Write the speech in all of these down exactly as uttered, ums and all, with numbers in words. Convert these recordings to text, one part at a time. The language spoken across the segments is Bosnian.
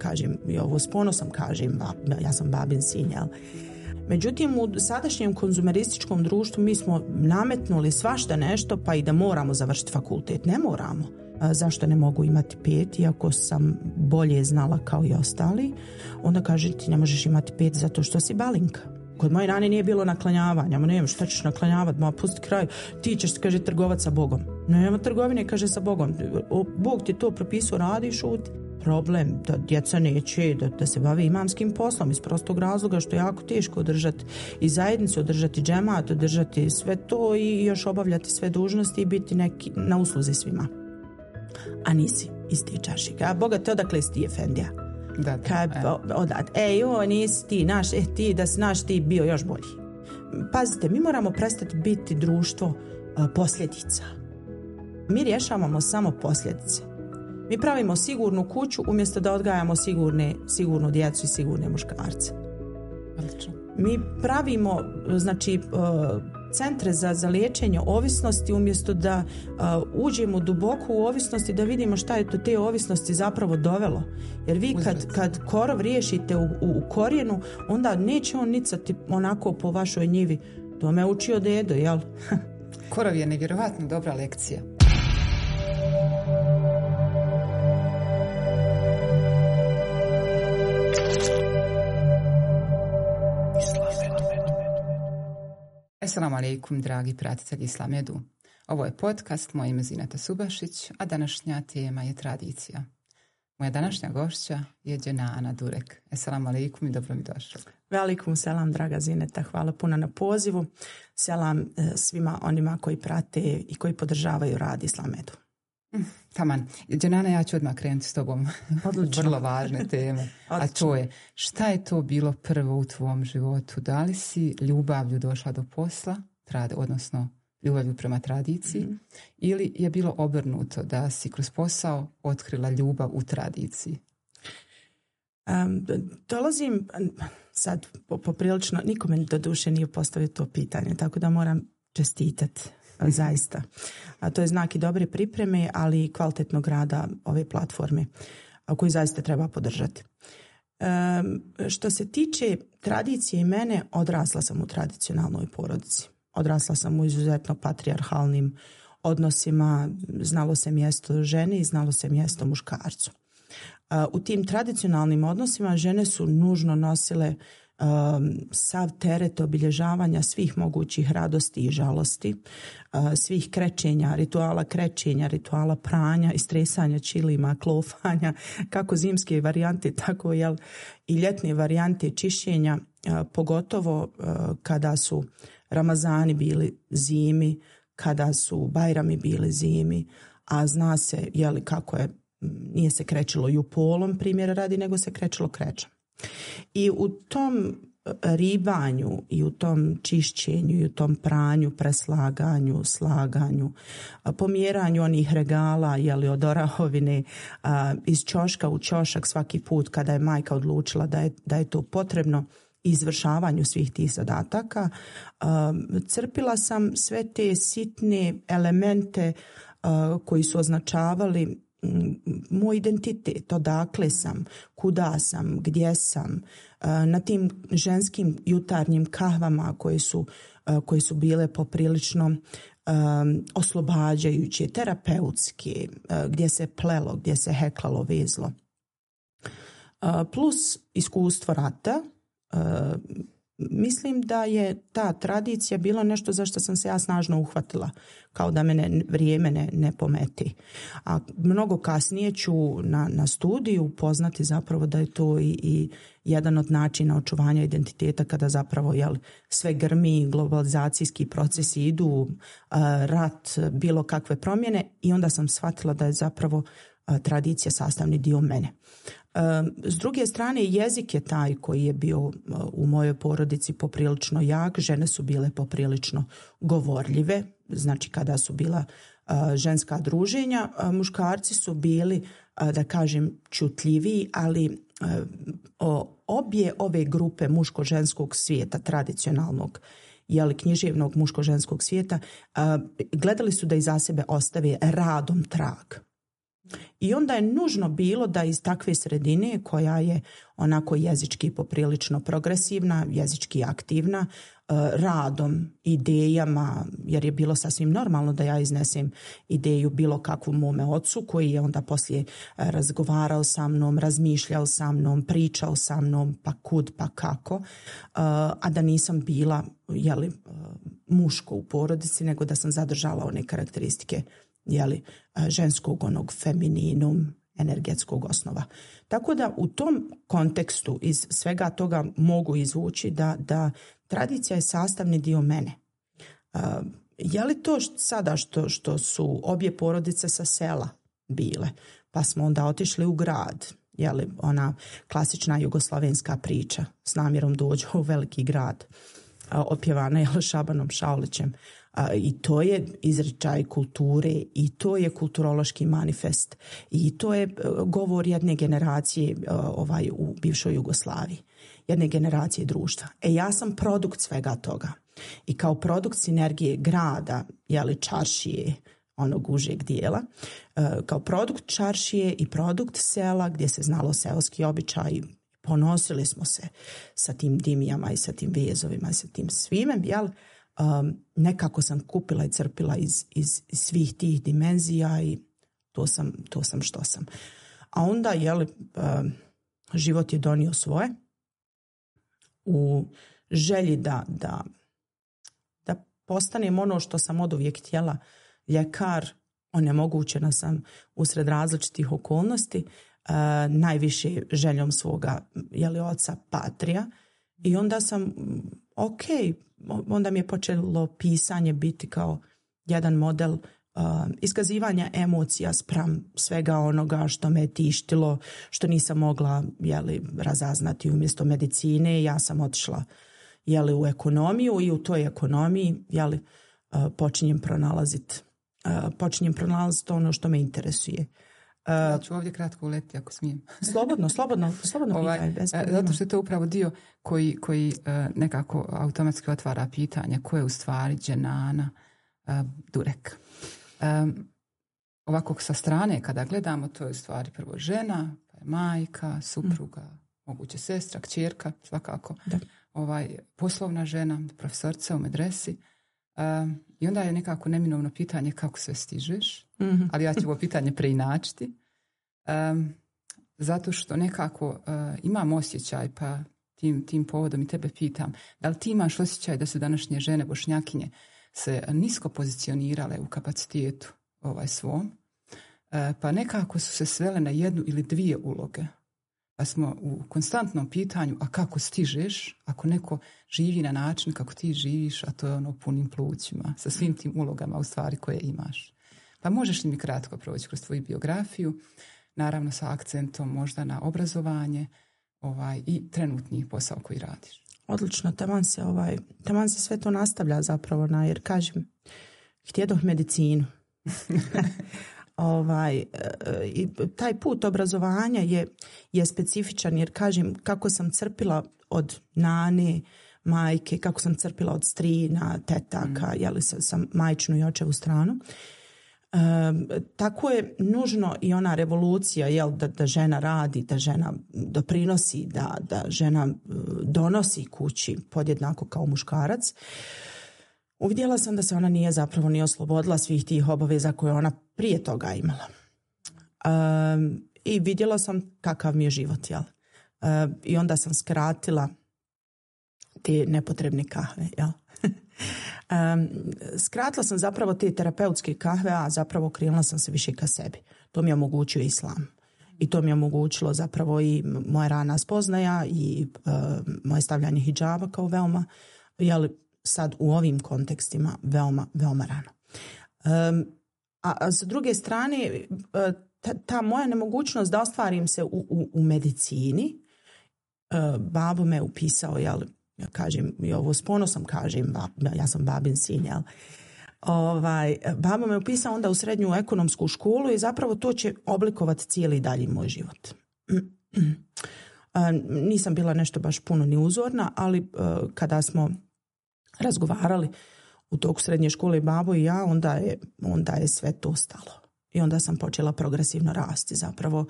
kažem, i ovo s ponosom kažem, ja sam babin sin, jel? Međutim, u sadašnjem konzumerističkom društvu mi smo nametnuli svašta nešto, pa i da moramo završiti fakultet. Ne moramo. Zašto ne mogu imati pet, iako sam bolje znala kao i ostali? Onda kaže ti ne možeš imati pet zato što si balinka. Kod moje nane nije bilo naklanjavanja. Ma nema, šta ćeš naklanjavati? Ma pusti kraj. Ti ćeš, kaže, trgovat sa Bogom. Nema trgovine, kaže, sa Bogom. Bog ti to propisao, radi i šuti. Problem da djeca neće da, da se bave imamskim poslom iz prostog razloga što je jako teško održati i zajednicu, održati džemat, održati sve to i još obavljati sve dužnosti i biti neki na usluzi svima. A nisi iz te čašike. A Boga te odakle si ti efendija? Da, da. Kad, odat, e, joj, nisi ti, naš, e, ti, da si naš, ti bio još bolji. Pazite, mi moramo prestati biti društvo a, posljedica. Mi rješavamo samo posljedice. Mi pravimo sigurnu kuću umjesto da odgajamo sigurne, sigurnu djecu i sigurne muškarce. Odlično. Mi pravimo, znači, centre za, za liječenje ovisnosti umjesto da uh, uđemo duboko u ovisnosti da vidimo šta je to te ovisnosti zapravo dovelo. Jer vi kad, kad korov riješite u, u, u korijenu, onda neće on nicati onako po vašoj njivi. To me učio dedo, jel? Korov je nevjerovatno dobra lekcija. Assalamu alaikum, dragi pratitelji Islamedu. Ovo je podcast, moje ime Zineta Subašić, a današnja tema je tradicija. Moja današnja gošća je Dženana Durek. Assalamu alaikum i dobro mi došli. Velikum selam, draga Zineta, hvala puno na pozivu. Selam svima onima koji prate i koji podržavaju rad Islamedu. Mm, taman. Dženana, ja ću odmah krenuti s tobom. Odlično. Vrlo važne teme. A to je, šta je to bilo prvo u tvom životu? Da li si ljubavlju došla do posla, trad, odnosno ljubavlju prema tradiciji, mm-hmm. ili je bilo obrnuto da si kroz posao otkrila ljubav u tradiciji? Um, dolazim sad poprilično, nikome do duše nije postavio to pitanje, tako da moram čestitati. Zaista. A to je znak i dobre pripreme, ali i kvalitetnog rada ove platforme koju zaista treba podržati. E, što se tiče tradicije i mene, odrasla sam u tradicionalnoj porodici. Odrasla sam u izuzetno patrijarhalnim odnosima, znalo se mjesto žene i znalo se mjesto muškarcu. E, u tim tradicionalnim odnosima žene su nužno nosile Um, sav teret obilježavanja svih mogućih radosti i žalosti, uh, svih krećenja, rituala krećenja, rituala pranja, istresanja čilima, klofanja, kako zimske varijante, tako jel, i ljetne varijante čišćenja, uh, pogotovo uh, kada su Ramazani bili zimi, kada su Bajrami bili zimi, a zna se jel, kako je, nije se krećilo jupolom primjera radi, nego se krećilo krećem. I u tom ribanju i u tom čišćenju i u tom pranju, preslaganju, slaganju, pomjeranju onih regala jeli, od orahovine iz ćoška u ćošak svaki put kada je majka odlučila da je, da je to potrebno izvršavanju svih tih zadataka, crpila sam sve te sitne elemente koji su označavali moj identitet, odakle sam, kuda sam, gdje sam, na tim ženskim jutarnjim kahvama koje su, koje su bile poprilično um, oslobađajuće, terapeutske, gdje se plelo, gdje se heklalo, vezlo. Plus iskustvo rata, mislim da je ta tradicija bila nešto za što sam se ja snažno uhvatila, kao da mene vrijeme ne, ne pometi. A mnogo kasnije ću na, na studiju upoznati zapravo da je to i, i jedan od načina očuvanja identiteta kada zapravo jel, sve grmi, globalizacijski procesi idu, uh, rat, bilo kakve promjene i onda sam shvatila da je zapravo uh, tradicija sastavni dio mene. S druge strane, jezik je taj koji je bio u mojoj porodici poprilično jak, žene su bile poprilično govorljive, znači kada su bila ženska druženja, muškarci su bili, da kažem, čutljiviji, ali obje ove grupe muško-ženskog svijeta, tradicionalnog, jeli, književnog muško-ženskog svijeta, gledali su da iza sebe ostave radom trag. I onda je nužno bilo da iz takve sredine koja je onako jezički poprilično progresivna, jezički aktivna, radom, idejama, jer je bilo sasvim normalno da ja iznesem ideju bilo kakvu mome ocu koji je onda poslije razgovarao sa mnom, razmišljao sa mnom, pričao sa mnom, pa kud, pa kako, a da nisam bila jeli, muško u porodici, nego da sam zadržala one karakteristike jeli, ženskog onog femininum, energetskog osnova. Tako da u tom kontekstu iz svega toga mogu izvući da, da tradicija je sastavni dio mene. Uh, je li to što, sada što, što su obje porodice sa sela bile, pa smo onda otišli u grad, je li ona klasična jugoslavenska priča s namjerom dođu u veliki grad, uh, opjevana je Šabanom Šaulićem. Uh, I to je izričaj kulture i to je kulturološki manifest i to je uh, govor jedne generacije uh, ovaj, u bivšoj Jugoslaviji, jedne generacije društva. E ja sam produkt svega toga i kao produkt sinergije grada, jeli čaršije, onog užeg dijela, uh, kao produkt čaršije i produkt sela gdje se znalo seoski običaj, ponosili smo se sa tim dimijama i sa tim vezovima i sa tim svime, jel? Um, nekako sam kupila i crpila iz, iz, iz svih tih dimenzija i to sam, to sam što sam. A onda jeli, um, život je donio svoje u želji da, da, da postanem ono što sam oduvijek htjela, ljekar. Onemogućena sam usred različitih okolnosti, uh, najviše željom svoga jeli, oca Patrija i onda sam ok, onda mi je počelo pisanje biti kao jedan model uh, iskazivanja emocija spram svega onoga što me tištilo, što nisam mogla jeli, razaznati umjesto medicine. Ja sam otišla jeli, u ekonomiju i u toj ekonomiji jeli, uh, počinjem pronalaziti uh, počinjem pronalaziti ono što me interesuje. Uh, ja ću ovdje kratko uletiti ako smijem. Slobodno, slobodno, slobodno ovaj, pitaj. Bez zato što je to upravo dio koji, koji uh, nekako automatski otvara pitanje ko je u stvari dženana uh, Durek. Um, ovako sa strane kada gledamo, to je u stvari prvo žena, pa je majka, supruga, mm. moguće sestra, kćerka, svakako. Da. Ovaj, poslovna žena, profesorca u medresi. Um, I onda je nekako neminovno pitanje kako sve stižeš, mm-hmm. ali ja ću ovo pitanje preinačiti. Um, zato što nekako uh, imam osjećaj, pa tim, tim povodom i tebe pitam, da li ti imaš osjećaj da su današnje žene Bošnjakinje se nisko pozicionirale u kapacitetu ovaj svom, uh, pa nekako su se svele na jednu ili dvije uloge. Pa smo u konstantnom pitanju, a kako stižeš ako neko živi na način kako ti živiš, a to je ono punim plućima, sa svim tim ulogama u stvari koje imaš. Pa možeš li mi kratko proći kroz tvoju biografiju, naravno sa akcentom možda na obrazovanje ovaj, i trenutni posao koji radiš? Odlično, taman se, ovaj, taman se sve to nastavlja zapravo na, jer kažem, htjedoh medicinu. Ovaj, i taj put obrazovanja je, je specifičan jer kažem kako sam crpila od nane, majke, kako sam crpila od strina, tetaka, mm. jeli sa, sa majčinu i očevu stranu. E, tako je nužno i ona revolucija jel, da, da žena radi, da žena doprinosi, da, da žena donosi kući podjednako kao muškarac. Uvidjela sam da se ona nije zapravo ni oslobodila svih tih obaveza koje ona prije toga imala. Um, I vidjela sam kakav mi je život, jel? Um, I onda sam skratila te nepotrebne kahve, jel? um, skratila sam zapravo te terapeutske kahve, a zapravo krenula sam se više ka sebi. To mi je omogućio islam. I to mi je omogućilo zapravo i moja rana spoznaja i uh, moje stavljanje hidžaba kao veoma, jel, sad u ovim kontekstima veoma, veoma rano. Um, a, a s druge strane, ta, ta moja nemogućnost da ostvarim se u, u, u medicini, uh, babo me upisao, jel, ja kažem, i ovo s ponosom kažem, bab, ja sam babin sin, jel, ovaj, babo me upisao onda u srednju ekonomsku školu i zapravo to će oblikovati cijeli dalji moj život. uh, nisam bila nešto baš puno ni uzorna, ali uh, kada smo razgovarali u toku srednje škole babo i ja, onda je, onda je sve to stalo. i onda sam počela progresivno rasti zapravo.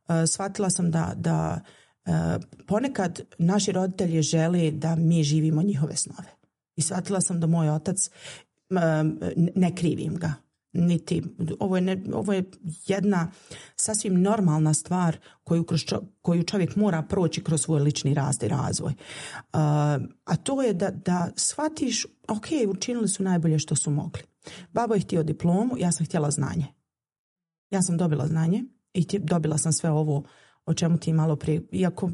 E, shvatila sam da, da e, ponekad naši roditelji žele da mi živimo njihove snove. I shvatila sam da moj otac, e, ne krivim ga, niti, ovo je, ne, ovo je jedna sasvim normalna stvar koju, kroz čo, koju čovjek mora proći kroz svoj lični rast i razvoj. Uh, a to je da, da shvatiš, ok, učinili su najbolje što su mogli. Babo je htio diplomu, ja sam htjela znanje. Ja sam dobila znanje i tje, dobila sam sve ovo o čemu ti malo prije, iako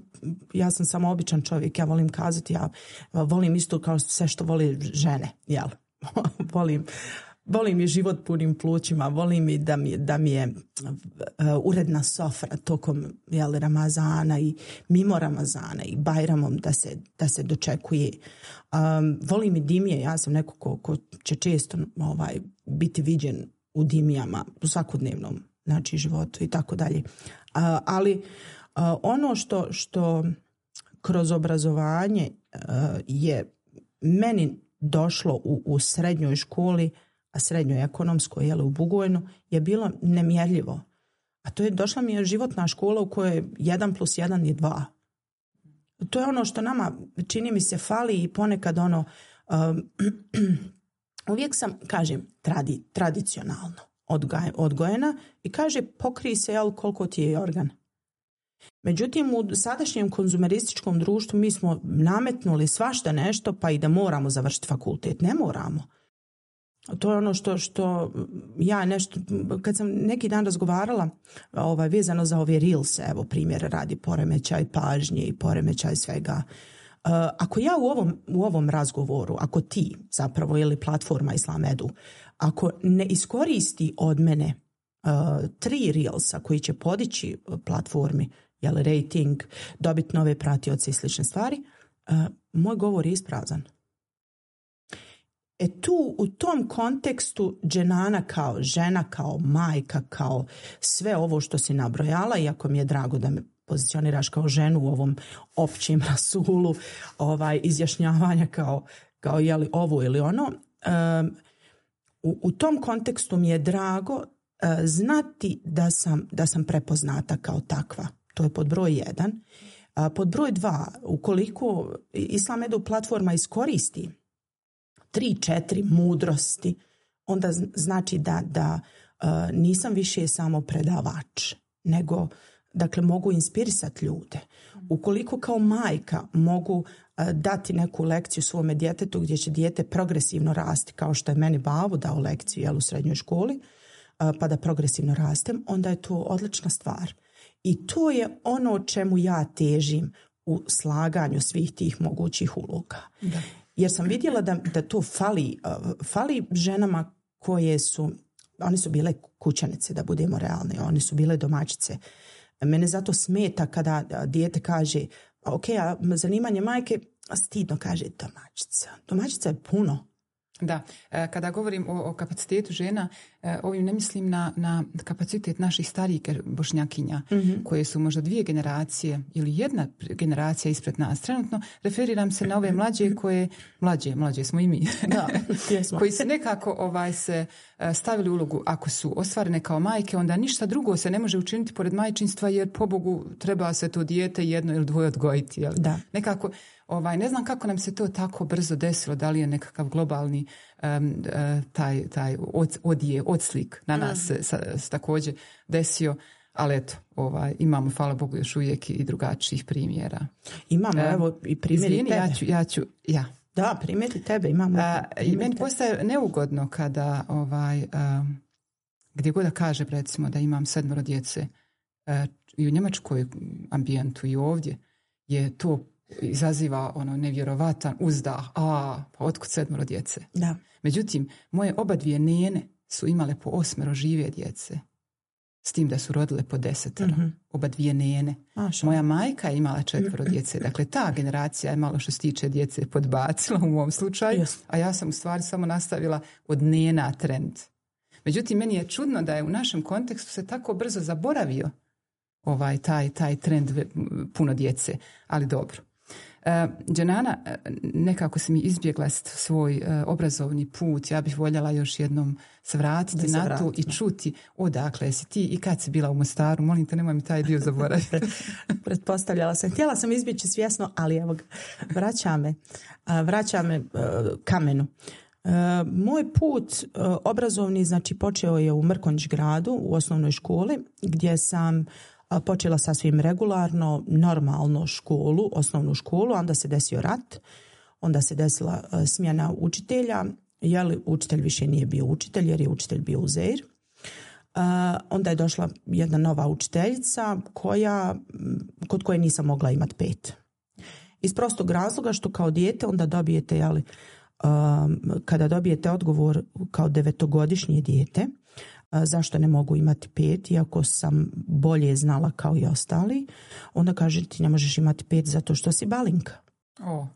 ja sam samo običan čovjek, ja volim kazati, ja volim isto kao sve što voli žene, jel? volim Volim i život punim plućima, volim i da mi, da mi je uh, uredna sofra tokom jel, Ramazana i mimo Ramazana i Bajramom da se, da se dočekuje. Um, volim i dimije, ja sam neko ko, ko će često ovaj, biti viđen u dimijama u svakodnevnom znači, životu i tako dalje. Uh, ali uh, ono što, što kroz obrazovanje uh, je meni došlo u, u srednjoj školi, a srednjoj ekonomskoj, jel, u Bugojnu, je bilo nemjerljivo. A to je došla mi je životna škola u kojoj jedan plus jedan je dva. To je ono što nama, čini mi se, fali i ponekad ono, um, uvijek sam, kažem, tradi, tradicionalno odgoj, odgojena i kaže, pokrij se, jel, koliko ti je organ. Međutim, u sadašnjem konzumerističkom društvu mi smo nametnuli svašta nešto, pa i da moramo završiti fakultet. Ne moramo. To je ono što, što ja nešto, kad sam neki dan razgovarala ovaj, vezano za ove reelse, evo primjer radi poremećaj pažnje i poremećaj svega. Uh, ako ja u ovom, u ovom razgovoru, ako ti zapravo ili platforma Islamedu, ako ne iskoristi od mene uh, tri reelsa koji će podići platformi, jel, rating, dobiti nove pratioce i slične stvari, uh, moj govor je isprazan. E tu, u tom kontekstu Dženana kao žena, kao majka, kao sve ovo što si nabrojala, iako mi je drago da me pozicioniraš kao ženu u ovom općim rasulu ovaj, izjašnjavanja kao, kao jeli ovo ili ono, um, u, u tom kontekstu mi je drago uh, znati da sam, da sam prepoznata kao takva. To je pod broj jedan. Uh, pod broj dva, ukoliko Islamedu platforma iskoristi tri, četiri mudrosti, onda znači da, da uh, nisam više samo predavač, nego dakle mogu inspirisati ljude. Ukoliko kao majka mogu uh, dati neku lekciju svome djetetu gdje će dijete progresivno rasti, kao što je meni babo dao lekciju jel, u srednjoj školi, uh, pa da progresivno rastem, onda je to odlična stvar. I to je ono o čemu ja težim u slaganju svih tih mogućih uloga. Da. Jer sam vidjela da, da to fali, uh, fali ženama koje su, one su bile kućanice, da budemo realni, one su bile domaćice. Mene zato smeta kada dijete kaže, ok, a zanimanje majke, stidno kaže domaćica. Domaćica je puno. Da, kada govorim o, o kapacitetu žena, ovim ne mislim na, na kapacitet naših starijih bošnjakinja, mm-hmm. koje su možda dvije generacije ili jedna generacija ispred nas. Trenutno referiram se na ove mlađe koje, mlađe, mlađe smo i mi, da, koji su nekako ovaj, se stavili ulogu, ako su ostvarene kao majke, onda ništa drugo se ne može učiniti pored majčinstva, jer pobogu treba se to dijete jedno ili dvoje odgojiti. Jel? Da. Nekako, ovaj, ne znam kako nam se to tako brzo desilo, da li je nekakav globalni um, uh, taj, taj od, odje, odslik na nas se, sa, se također desio, ali eto, ovaj, imamo, hvala Bogu, još uvijek i drugačijih primjera. Imamo, um, evo i primjeri izvini, tebe. Ja ću, ja ću, ja. Da, primjeri tebe, imamo. Uh, I meni postaje neugodno kada, ovaj, um, gdje god da kažem, recimo, da imam sedmero djece, uh, i u njemačkoj ambijentu i ovdje, je to izaziva ono nevjerovatan uzdah, a pa otkud sedmero djece. Da. Međutim, moje oba dvije nene su imale po osmero žive djece, s tim da su rodile po desetero. Mm-hmm. Oba dvije nene. Maša. Moja majka je imala četvero djece. Dakle, ta generacija je malo što se tiče djece podbacila u mom slučaju, yes. a ja sam u stvari samo nastavila od nena trend. Međutim, meni je čudno da je u našem kontekstu se tako brzo zaboravio ovaj taj, taj trend puno djece, ali dobro. Dženana, nekako si mi izbjegla svoj obrazovni put. Ja bih voljela još jednom se vratiti se na to i čuti odakle si ti i kad si bila u Mostaru. Molim te, nemoj mi taj dio zaboraviti. Pretpostavljala sam. Htjela sam izbjeći svjesno, ali evo ga, vraća me, vraća me kamenu. Moj put obrazovni, znači, počeo je u Mrkonjić gradu u osnovnoj školi gdje sam počela sasvim regularno, normalno školu, osnovnu školu, onda se desio rat, onda se desila smjena učitelja, jeli učitelj više nije bio učitelj jer je učitelj bio Uzeir. Onda je došla jedna nova učiteljica koja, kod koje nisam mogla imati pet. Iz prostog razloga što kao dijete onda dobijete, jeli, kada dobijete odgovor kao devetogodišnje dijete, zašto ne mogu imati pet, iako sam bolje znala kao i ostali, onda kaže ti ne možeš imati pet zato što si balinka. Oh.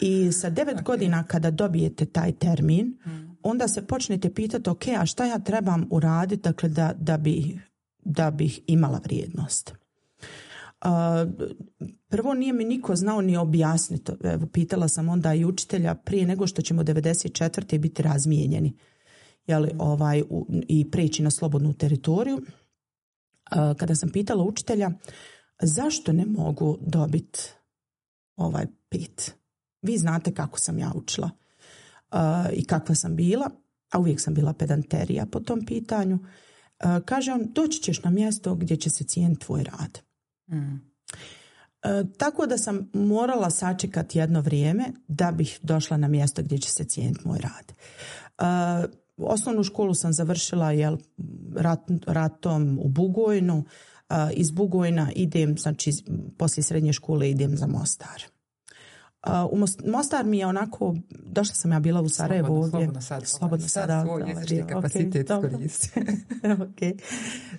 I sa devet okay. godina kada dobijete taj termin, hmm. onda se počnete pitati, ok, a šta ja trebam uraditi, dakle, da, da, bi, da bih imala vrijednost. Uh, prvo nije mi niko znao ni objasniti. Evo, pitala sam onda i učitelja prije nego što ćemo devedeset četvrte biti razmijenjeni. Jeli, ovaj, u, i preći na slobodnu teritoriju. Uh, kada sam pitala učitelja zašto ne mogu dobiti ovaj pet. Vi znate kako sam ja učila uh, i kakva sam bila, a uvijek sam bila pedanterija po tom pitanju. Uh, kaže on, doći ćeš na mjesto gdje će se cijeniti tvoj rad. Mm. Uh, tako da sam morala sačekati jedno vrijeme da bih došla na mjesto gdje će se cijeniti moj rad. Uh, Osnovnu školu sam završila jel, rat, ratom u Bugojnu. Uh, iz Bugojna idem, znači poslije srednje škole idem za Mostar. Uh, u Mostar mi je onako, došla sam ja bila u Sarajevo slobodno, ovdje. Slobodno sad. Slobodno sad. Sad svoj jezični kapacitet okay, koristi. Okay.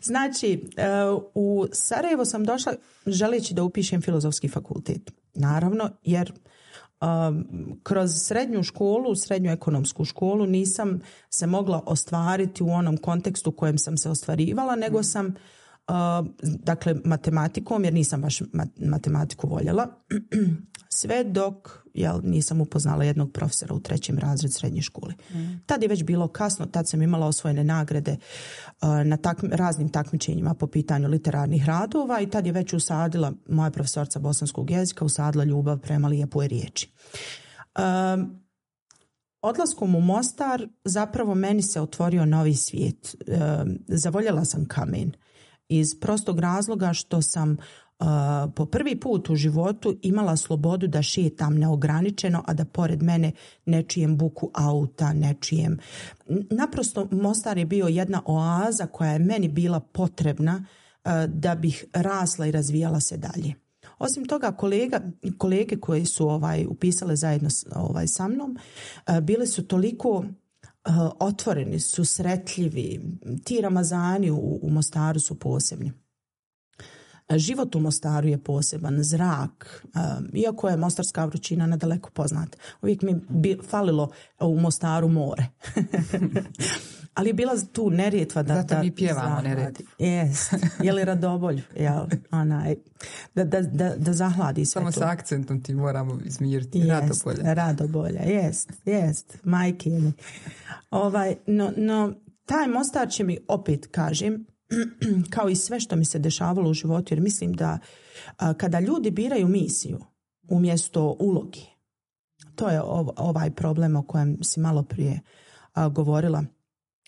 Znači, uh, u Sarajevo sam došla želeći da upišem filozofski fakultet. Naravno, jer Um, kroz srednju školu, srednju ekonomsku školu nisam se mogla ostvariti u onom kontekstu u kojem sam se ostvarivala, nego sam uh, dakle matematikom, jer nisam baš matematiku voljela, sve dok jel, nisam upoznala jednog profesora u trećem razredu srednje škole. Mm. Tad je već bilo kasno, tad sam imala osvojene nagrade uh, na takmi, raznim takmičenjima po pitanju literarnih radova i tad je već usadila moja profesorca bosanskog jezika, usadila ljubav prema lijepoj riječi. Um, odlaskom u Mostar zapravo meni se otvorio novi svijet. Um, zavoljela sam kamen iz prostog razloga što sam Uh, po prvi put u životu imala slobodu da šetam neograničeno, a da pored mene ne čujem buku auta, ne čujem. Naprosto Mostar je bio jedna oaza koja je meni bila potrebna uh, da bih rasla i razvijala se dalje. Osim toga, kolega, kolege koji su ovaj, upisale zajedno ovaj, sa mnom, uh, bile su toliko uh, otvoreni, susretljivi. Ti Ramazani u, u Mostaru su posebni. Život u Mostaru je poseban, zrak, um, iako je mostarska vrućina nadaleko poznata. Uvijek mi bi falilo u Mostaru more. Ali je bila tu nerijetva da... Zato mi pjevamo nerijetvu. Jest. Je li Radobolj? Jel, onaj, da, da, da, da zahladi sve Samo to. Samo sa akcentom ti moramo izmiriti. Jest, Radobolja. Radobolja, jest, jest. Majke mi. Ovaj, no, no, taj Mostar će mi, opet kažem, kao i sve što mi se dešavalo u životu, jer mislim da a, kada ljudi biraju misiju umjesto ulogi, to je ov, ovaj problem o kojem si malo prije a, govorila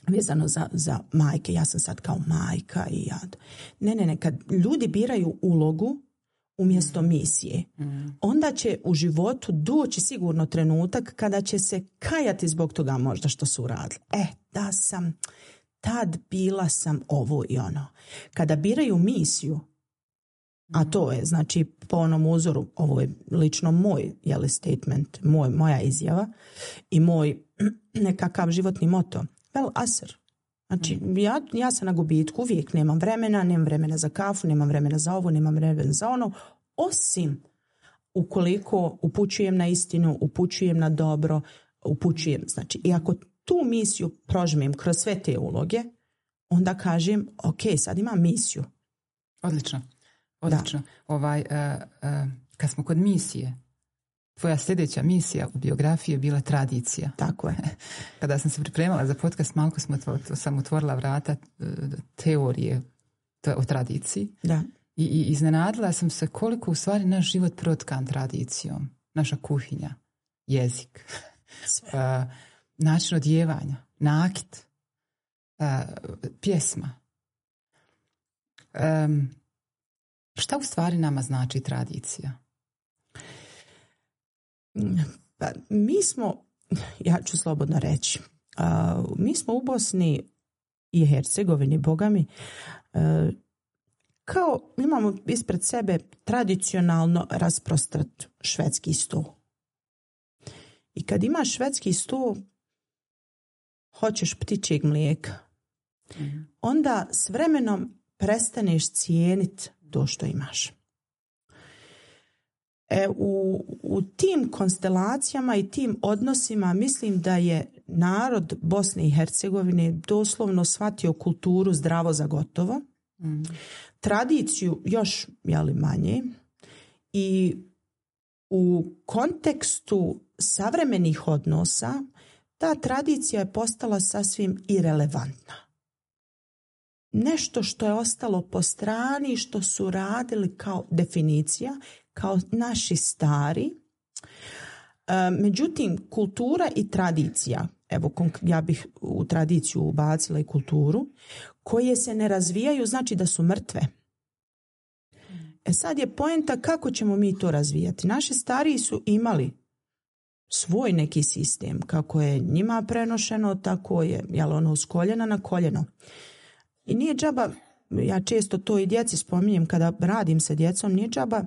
vezano za, za majke. Ja sam sad kao majka i ja. Ne, ne, ne. Kad ljudi biraju ulogu umjesto misije, mm. onda će u životu doći sigurno trenutak kada će se kajati zbog toga možda što su uradili. E, da sam... tad bila sam ovo i ono. Kada biraju misiju, a to je, znači, po onom uzoru, ovo je lično moj jeli, statement, moj, moja izjava i moj nekakav životni moto. Vel asr. Znači, ja, ja sam na gubitku, uvijek nemam vremena, nemam vremena za kafu, nemam vremena za ovo, nemam vremena za ono, osim ukoliko upućujem na istinu, upućujem na dobro, upućujem, znači, i ako tu misiju prožmem kroz sve te uloge, onda kažem, ok, sad imam misiju. Odlično. Odlično. Ovaj, uh, uh, kad smo kod misije, tvoja sljedeća misija u biografiji je bila tradicija. Tako je. Kada sam se pripremala za podcast, malo smo, sam otvorila vrata teorije o tradiciji. Da. I, I iznenadila sam se koliko u stvari naš život protkan tradicijom. Naša kuhinja, jezik, uh, način odjevanja, nakit, uh, pjesma. Um, šta u stvari nama znači tradicija? Pa, mi smo, ja ću slobodno reći, uh, mi smo u Bosni i Hercegovini, bogami, uh, kao imamo ispred sebe tradicionalno rasprostrat švedski sto. I kad imaš švedski sto, hoćeš ptičjeg mlijeka, mm. onda s vremenom prestaneš cijeniti to što imaš. E, u, u tim konstelacijama i tim odnosima mislim da je narod Bosne i Hercegovine doslovno shvatio kulturu zdravo za gotovo, mm. tradiciju još jeli, manje i u kontekstu savremenih odnosa ta tradicija je postala sasvim irelevantna. Nešto što je ostalo po strani, što su radili kao definicija, kao naši stari. E, međutim, kultura i tradicija, evo ja bih u tradiciju ubacila i kulturu, koje se ne razvijaju znači da su mrtve. E sad je poenta kako ćemo mi to razvijati. Naši stariji su imali svoj neki sistem, kako je njima prenošeno, tako je jel ono s koljena na koljeno. I nije džaba, ja često to i djeci spominjem kada radim sa djecom, nije džaba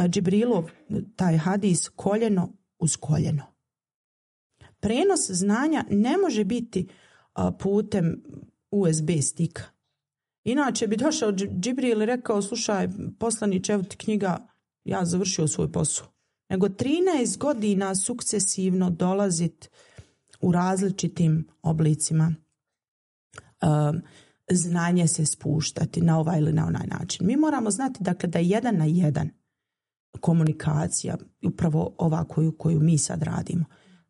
Džibrilov taj hadis koljeno uz koljeno. Prenos znanja ne može biti putem U S B stika. Inače bi došao Džibril i rekao, slušaj, poslaniče, evo ti knjiga, ja završio svoj posao. Nego trinaest godina sukcesivno dolazit u različitim oblicima um, znanje se spuštati na ovaj ili na onaj način. Mi moramo znati dakle, da je jedan na jedan komunikacija, upravo ova koju, koju mi sad radimo,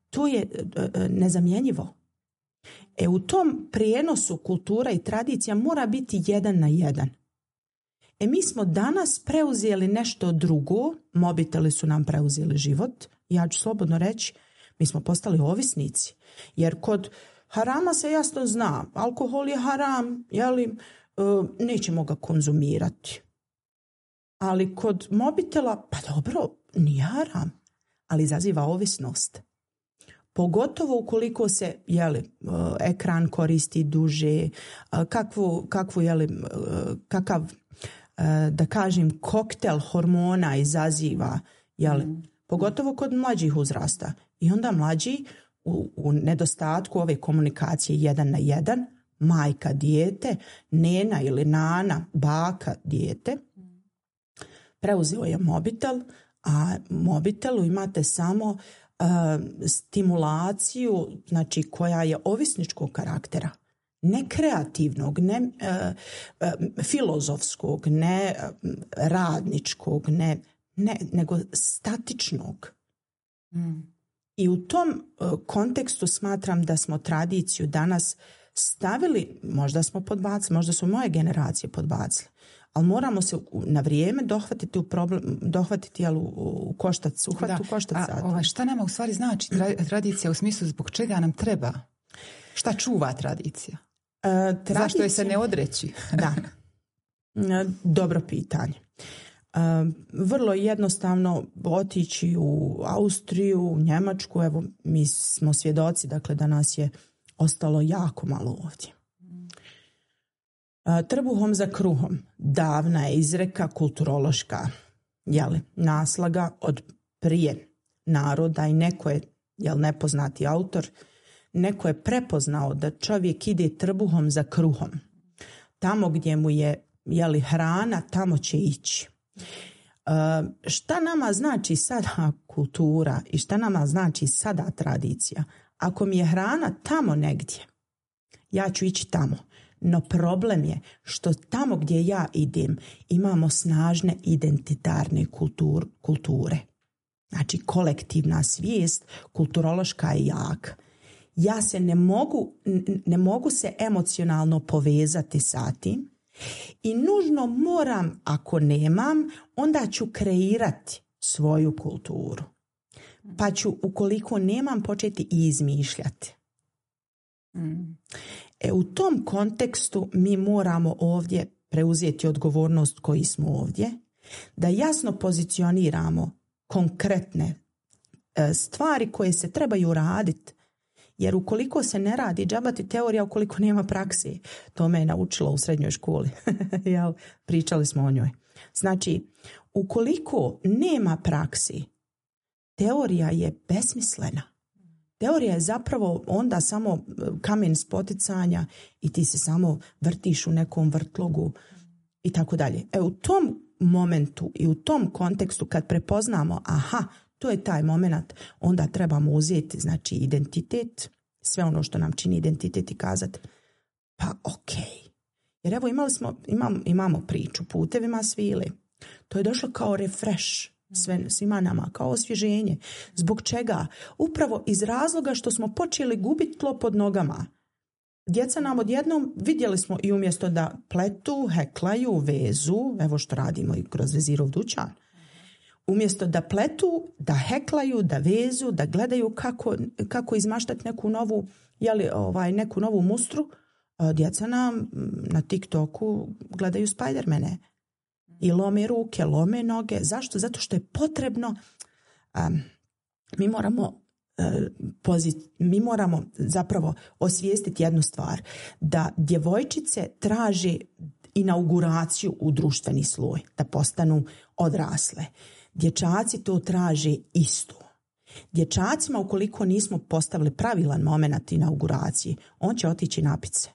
to je uh, nezamjenjivo. E u tom prijenosu kultura i tradicija mora biti jedan na jedan. E mi smo danas preuzeli nešto drugo, mobiteli su nam preuzeli život, ja ću slobodno reći, mi smo postali ovisnici. Jer kod harama se jasno zna, alkohol je haram, jeli, nećemo ga konzumirati. Ali kod mobitela, pa dobro, nije haram, ali izaziva ovisnost. Pogotovo ukoliko se jeli, ekran koristi duže, kakvu, kakvu jeli, kakav, da kažem, koktel hormona izaziva, jeli, mm. pogotovo kod mlađih uzrasta. I onda mlađi u, u nedostatku ove komunikacije jedan na jedan, majka dijete, nena ili nana, baka dijete, preuzeo je mobitel, a mobitelu imate samo uh, stimulaciju, znači koja je ovisničkog karaktera, ne kreativnog, ne uh, uh, filozofskog, ne uh, radničkog, ne, ne, nego statičnog. Mm. I u tom uh, kontekstu smatram da smo tradiciju danas stavili, možda smo podbacili, možda su moje generacije podbacile, ali moramo se na vrijeme dohvatiti u problem, dohvatiti jel, u koštac, uhvat u koštac. A ova, šta nama u stvari znači tradicija u smislu zbog čega nam treba? Šta čuva tradicija? E, tradicija Zašto je se ne odreći? Da. Dobro pitanje. E, vrlo jednostavno otići u Austriju, u Njemačku, evo mi smo svjedoci, dakle da nas je ostalo jako malo ovdje. Trbuhom za kruhom, davna je izreka kulturološka, jeli, naslaga od prije naroda i neko je, jel, nepoznati autor, neko je prepoznao da čovjek ide trbuhom za kruhom. Tamo gdje mu je, jeli, hrana, tamo će ići. E, šta nama znači sada kultura i šta nama znači sada tradicija? Ako mi je hrana tamo negdje, ja ću ići tamo. No problem je što tamo gdje ja idem imamo snažne identitarne kultur, kulture. Znači kolektivna svijest, kulturološka je jaka. Ja se ne mogu, ne mogu se emocionalno povezati sa tim i nužno moram, ako nemam, onda ću kreirati svoju kulturu. Pa ću, ukoliko nemam, početi i izmišljati. Mm. E, u tom kontekstu mi moramo ovdje preuzeti odgovornost koji smo ovdje, da jasno pozicioniramo konkretne e, stvari koje se trebaju raditi. Jer ukoliko se ne radi, džabati teorija ukoliko nema praksi. To me je naučilo u srednjoj školi. Jel? Pričali smo o njoj. Znači, ukoliko nema praksi, teorija je besmislena. Teorija je zapravo onda samo kamen spoticanja i ti se samo vrtiš u nekom vrtlogu i tako dalje. E, u tom momentu i u tom kontekstu kad prepoznamo, aha, to je taj moment, onda trebamo uzeti, znači, identitet, sve ono što nam čini identitet i kazati, pa ok. Jer evo imali smo, imam, imamo priču, putevima svile. To je došlo kao refresh sve, svima nama, kao osvježenje. Zbog čega? Upravo iz razloga što smo počeli gubiti tlo pod nogama. Djeca nam odjednom, vidjeli smo i umjesto da pletu, heklaju, vezu, evo što radimo i kroz Vezirov dućan, umjesto da pletu, da heklaju, da vezu, da gledaju kako, kako izmaštati neku novu, jeli, ovaj, neku novu mustru, djeca nam na TikToku gledaju Spidermane i lome ruke, lome noge. Zašto? Zato što je potrebno, um, mi moramo uh, pozit, mi moramo zapravo osvijestiti jednu stvar, da djevojčice traže inauguraciju u društveni sloj, da postanu odrasle. Dječaci to traže isto. Dječacima, ukoliko nismo postavili pravilan moment inauguracije, on će otići napit se.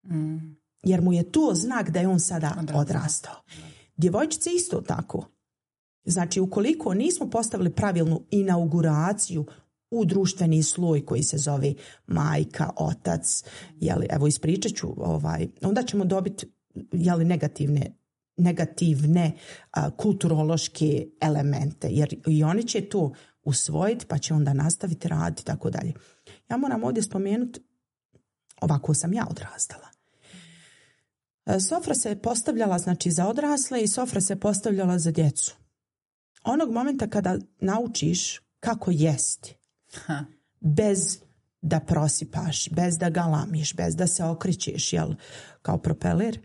Mm. Jer mu je to znak da je on sada odrastao. odrastao. Djevojčice isto tako. Znači, ukoliko nismo postavili pravilnu inauguraciju u društveni sloj koji se zove majka, otac, jeli, evo ispričat ću, ovaj, onda ćemo dobiti jeli, negativne negativne a, kulturološke elemente, jer i oni će to usvojiti pa će onda nastaviti raditi i tako dalje. Ja moram ovdje spomenuti, ovako sam ja odrastala. Sofra se postavljala, znači, za odrasle i sofra se postavljala za djecu. Onog momenta kada naučiš kako jesti, ha. bez da prosipaš, bez da galamiš, bez da se okrećeš, jel, kao propeler,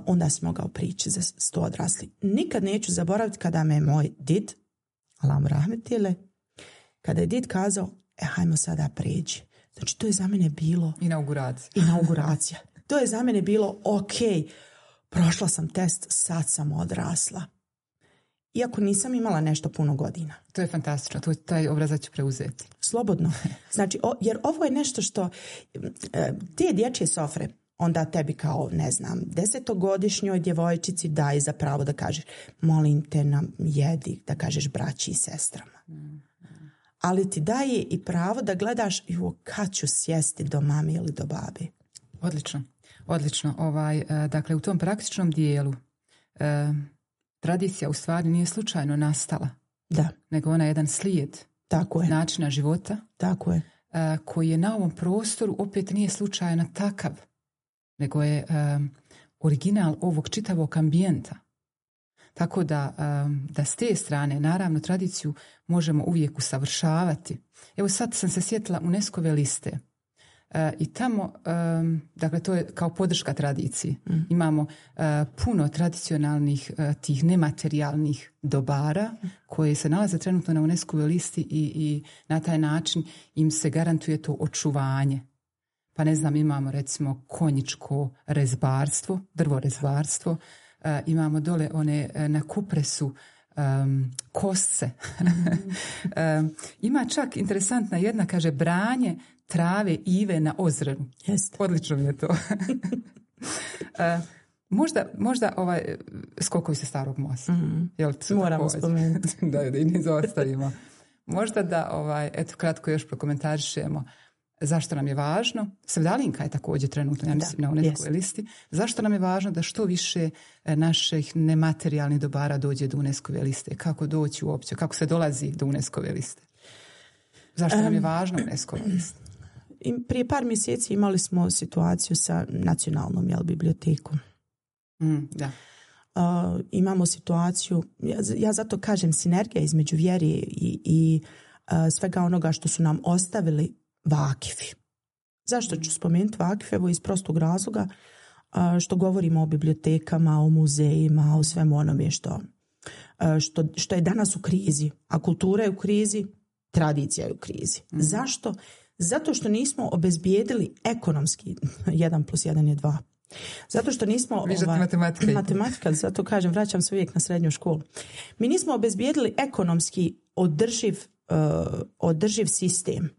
onda si mogao prići za sto odrasli. Nikad neću zaboraviti kada me moj did, Alam rahmetile, kada je did kazao, e, hajmo sada pređi. Znači, to je za mene bilo... Inauguracija. Inauguracija. To je za mene bilo, ok, prošla sam test, sad sam odrasla. Iako nisam imala nešto puno godina. To je fantastično, to, taj obrazac ću preuzeti. Slobodno. Znači, o, jer ovo je nešto što... Te dječje sofre, onda tebi kao, ne znam, desetogodišnjoj djevojčici daj za pravo da kažeš, molim te nam jedi, da kažeš braći i sestrama. Mm. Ali ti daje i pravo da gledaš, jo, kad ću sjesti do mame ili do babe. Odlično, odlično. Ovaj, dakle, u tom praktičnom dijelu eh, tradicija u stvari nije slučajno nastala. Da. Nego ona je jedan slijed Tako je. načina života. Tako je. Eh, koji je na ovom prostoru opet nije slučajno takav, nego je um, original ovog čitavog ambijenta. Tako da, um, da s te strane, naravno, tradiciju možemo uvijek usavršavati. Evo sad sam se sjetila UNESCO-ve liste. Uh, I tamo, um, dakle, to je kao podrška tradiciji. Mm. Imamo uh, puno tradicionalnih uh, tih nematerijalnih dobara mm. koje se nalaze trenutno na UNESCO-ve listi i, i na taj način im se garantuje to očuvanje. Pa ne znam, imamo recimo konjičko rezbarstvo, drvorezbarstvo, uh, imamo dole one uh, na Kupresu um, kosce. um, ima čak interesantna jedna, kaže, branje trave ive na Ozrenu. Jest. Odlično mi je to. uh, možda, možda ovaj, skokovi se Starog mosta. Mm. Jel, moramo spomenuti. da, da i ne izostavimo. Možda da, ovaj, eto, kratko još prokomentarišemo. Zašto nam je važno? Sevdalinka je također trenutno, ja mislim, na UNESCO listi. Zašto nam je važno da što više naših nematerijalnih dobara dođe do UNESCO liste? Kako doći uopće? Kako se dolazi do UNESCO liste? Zašto um, nam je važno UNESCO lista? Prije par mjeseci imali smo situaciju sa nacionalnom jel, bibliotekom. Mm, da. Uh, imamo situaciju, ja, ja zato kažem sinergija između vjeri i, i uh, svega onoga što su nam ostavili vakifi. Zašto ću spomenuti vakife? Evo iz prostog razloga uh, što govorimo o bibliotekama, o muzejima, o svemu onome što, uh, što, što je danas u krizi. A kultura je u krizi, tradicija je u krizi. Mm. Zašto? Zato što nismo obezbijedili ekonomski, jedan plus jedan je dva. Zato što nismo... Ova, matematika. Matematika, zato kažem, vraćam se uvijek na srednju školu. Mi nismo obezbijedili ekonomski održiv, uh, održiv sistem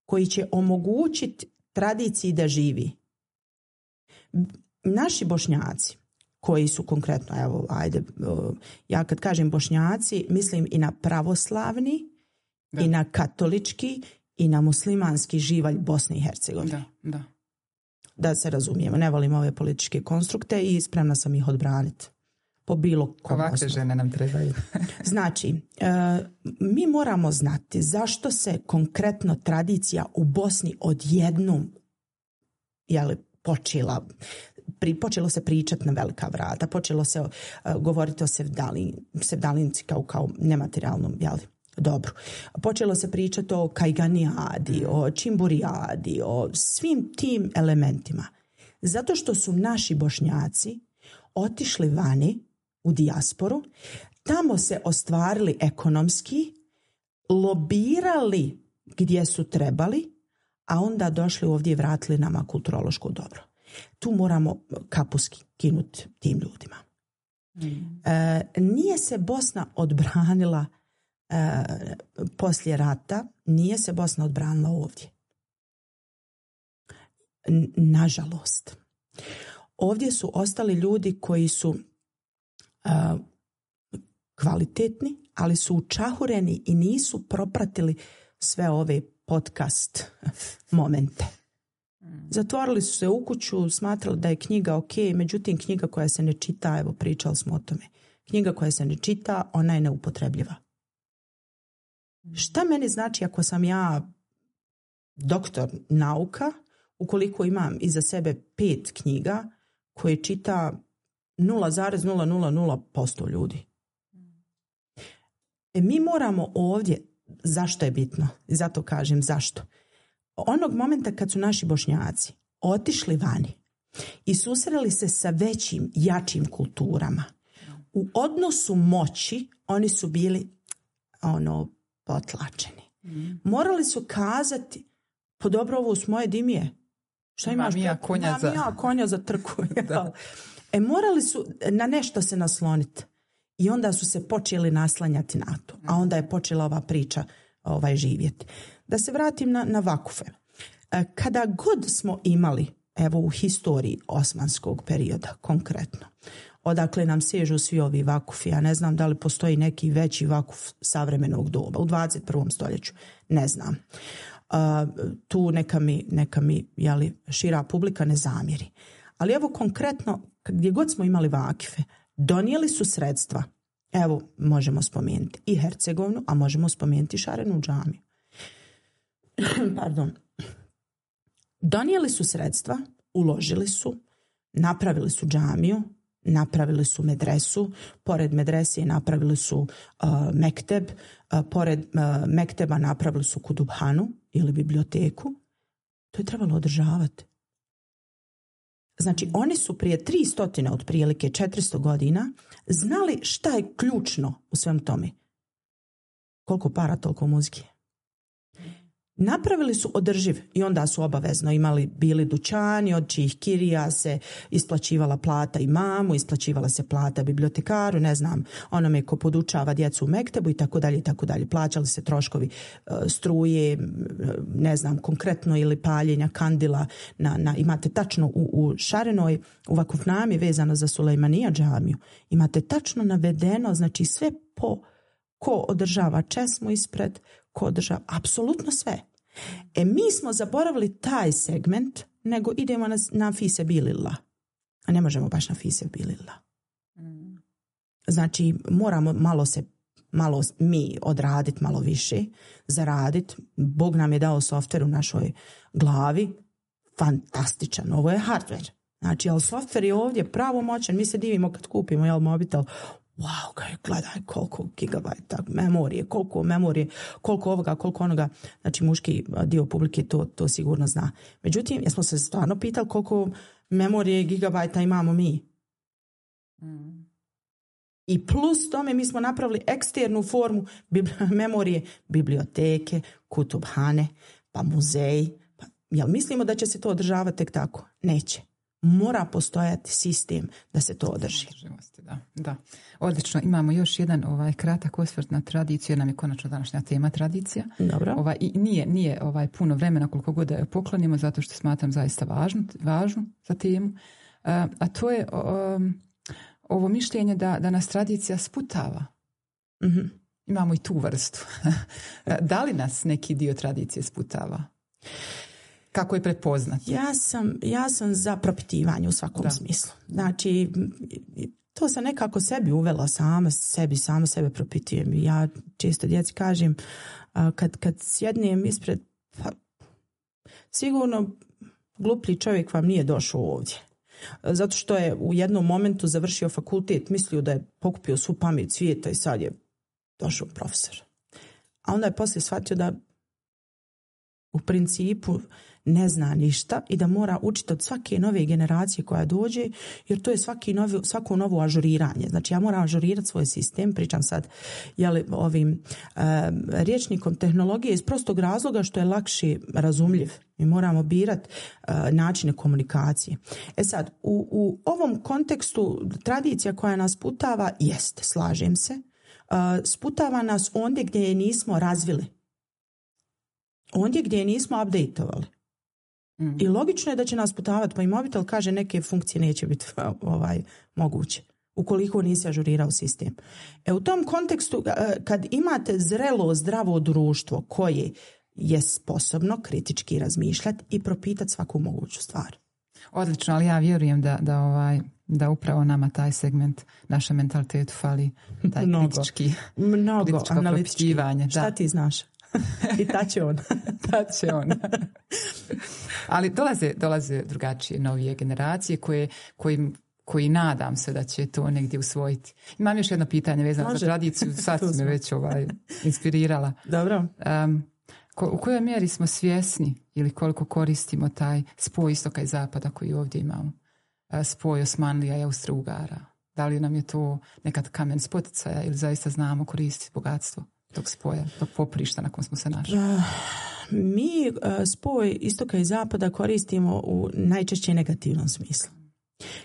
koji će omogućiti tradiciji da živi. Naši Bošnjaci, koji su konkretno, evo, ajde, uh, ja kad kažem Bošnjaci, mislim i na pravoslavni, da. I na katolički, i na muslimanski živalj Bosne i Hercegovine. Da, da. Da se razumijemo, ne volim ove političke konstrukte i spremna sam ih odbraniti. Po bilo kom ovakve osnovu. Žene nam trebaju. Znači, e, mi moramo znati zašto se konkretno tradicija u Bosni odjednom jeli, počela, pri, počelo se pričati na velika vrata, počelo se uh, govoriti o sevdalin, sevdalinci kao, kao nematerijalnom, jeli, dobro. Počelo se pričati o kajganijadi, o čimburijadi, o svim tim elementima. Zato što su naši Bošnjaci otišli vani u dijasporu, tamo se ostvarili ekonomski, lobirali gdje su trebali, a onda došli ovdje i vratili nama kulturološko dobro. Tu moramo kapu skinuti tim ljudima. Mm. E, nije se Bosna odbranila E, poslije rata, nije se Bosna odbranila ovdje. N- nažalost. Ovdje su ostali ljudi koji su e, kvalitetni, ali su učahureni i nisu propratili sve ove podcast momente. Zatvorili su se u kuću, smatrali da je knjiga ok, međutim knjiga koja se ne čita, evo pričali smo o tome, knjiga koja se ne čita, ona je neupotrebljiva. Šta meni znači ako sam ja doktor nauka, ukoliko imam iza sebe pet knjiga koje čita nula zarez nula nula nula posto ljudi? E, mi moramo ovdje, zašto je bitno? Zato kažem zašto. Onog momenta kad su naši Bošnjaci otišli vani i susreli se sa većim, jačim kulturama, u odnosu moći oni su bili ono potlačeni. Mm. Morali su kazati, po dobro ovo s moje dimije. Šta imaš? Mam ja konja Mam za... ja konja za trku. E morali su na nešto se nasloniti. I onda su se počeli naslanjati na to. A onda je počela ova priča ovaj, živjeti. Da se vratim na, na vakufe. Kada god smo imali, evo u historiji osmanskog perioda konkretno, odakle nam sežu svi ovi vakufi, ja ne znam da li postoji neki veći vakuf savremenog doba u dvadeset prvom stoljeću, ne znam. Uh, tu neka mi, neka mi jeli, šira publika ne zamjeri. Ali evo konkretno, gdje god smo imali vakife, donijeli su sredstva, evo možemo spomenuti i Hercegovinu, a možemo spomenuti Šarenu džamiju. Pardon. Donijeli su sredstva, uložili su, napravili su džamiju, napravili su medresu, pored medresije napravili su uh, mekteb, uh, pored uh, mekteba napravili su kudubhanu ili biblioteku. To je trebalo održavati. Znači, oni su prije tri stotine, otprilike četiristo godina, znali šta je ključno u svem tome. Koliko para, toliko muzike. Napravili su održiv i onda su obavezno imali bili dućani od čijih kirija se isplaćivala plata imamu, isplaćivala se plata bibliotekaru, ne znam, onome ko podučava djecu u mektebu i tako dalje i tako dalje. Plaćali se troškovi uh, struje, ne znam, konkretno ili paljenja kandila. Na, na, imate tačno u, u Šarenoj, u Vakufnami vezano za Sulejmanija džamiju, imate tačno navedeno, znači sve po ko održava česmu ispred, ko održava, apsolutno sve. E mi smo zaboravili taj segment, nego idemo na, na fise bilila. A ne možemo baš na fise bilila. Znači, moramo malo se, malo mi odraditi malo više, zaraditi. Bog nam je dao softver u našoj glavi. Fantastičan. Ovo je hardware. Znači, ali softver je ovdje pravomoćan. Mi se divimo kad kupimo jel, mobitel. Wow, kaj, gledaj koliko gigabajta memorije, koliko memorije, koliko ovoga, koliko onoga. Znači, muški dio publike to, to sigurno zna. Međutim, jesmo se stvarno pitali koliko memorije gigabajta imamo mi. Mm. I plus tome mi smo napravili eksternu formu bibli- memorije, biblioteke, kutubhane, pa muzeji. Pa, jel mislimo da će se to održavati tek tako? Neće. Mora postojati sistem da se to održi. Da, da. Odlično. Imamo još jedan ovaj kratak osvrt na tradiciju, jer nam je konačno današnja tema tradicija. Dobro. Ovaj, i nije, nije ovaj puno vremena koliko god da je poklonimo, zato što smatram zaista važno, važno za temu. A, a to je um, ovo mišljenje da, da nas tradicija sputava. Mm-hmm. Imamo i tu vrstu. Da li nas neki dio tradicije sputava? Kako je prepoznati? Ja sam, ja sam za propitivanje u svakom da. smislu. Znači, to sam nekako sebi uvela sama sebi, sama sebe propitujem. Ja često djeci kažem, kad, kad sjednem ispred, pa, sigurno gluplji čovjek vam nije došao ovdje. Zato što je u jednom momentu završio fakultet, mislio da je pokupio svu pamet svijeta i sad je došao profesor. A onda je poslije shvatio da u principu ne zna ništa i da mora učiti od svake nove generacije koja dođe, jer to je svaki novi, svako novo ažuriranje. Znači ja moram ažurirati svoj sistem, pričam sad jeli, ovim e, rječnikom tehnologije iz prostog razloga što je lakše razumljiv. Mi moramo birati e, načine komunikacije. E sad, u, u ovom kontekstu tradicija koja nas sputava, jest, slažem se, e, sputava nas ondje gdje je nismo razvili. Ondje gdje je nismo updateovali. Mm. I logično je da će nas putavati, pa i mobitel kaže neke funkcije neće biti ovaj, moguće, ukoliko nisi ažurirao sistem. E u tom kontekstu, kad imate zrelo, zdravo društvo koje je sposobno kritički razmišljati i propitati svaku moguću stvar. Odlično, ali ja vjerujem da, da, ovaj, da upravo nama taj segment, našem mentalitetu fali taj mnogo, kritički, mnogo kritičko propitivanje. Šta ti znaš? I ta će on. ta će on. Ali dolaze, dolaze drugačije novije generacije koje, koji, koji nadam se da će to negdje usvojiti. Imam još jedno pitanje vezano Može. za tradiciju. Sad si me već ovaj, inspirirala. Dobro. Um, ko, u kojoj mjeri smo svjesni ili koliko koristimo taj spoj istoka i zapada koji ovdje imamo? Uh, spoj Osmanlija i Austro-Ugara. Da li nam je to nekad kamen spoticaja ili zaista znamo koristiti bogatstvo tog spoja, tog poprišta na kom smo se našli? Uh, mi uh, spoj istoka i zapada koristimo u najčešće negativnom smislu.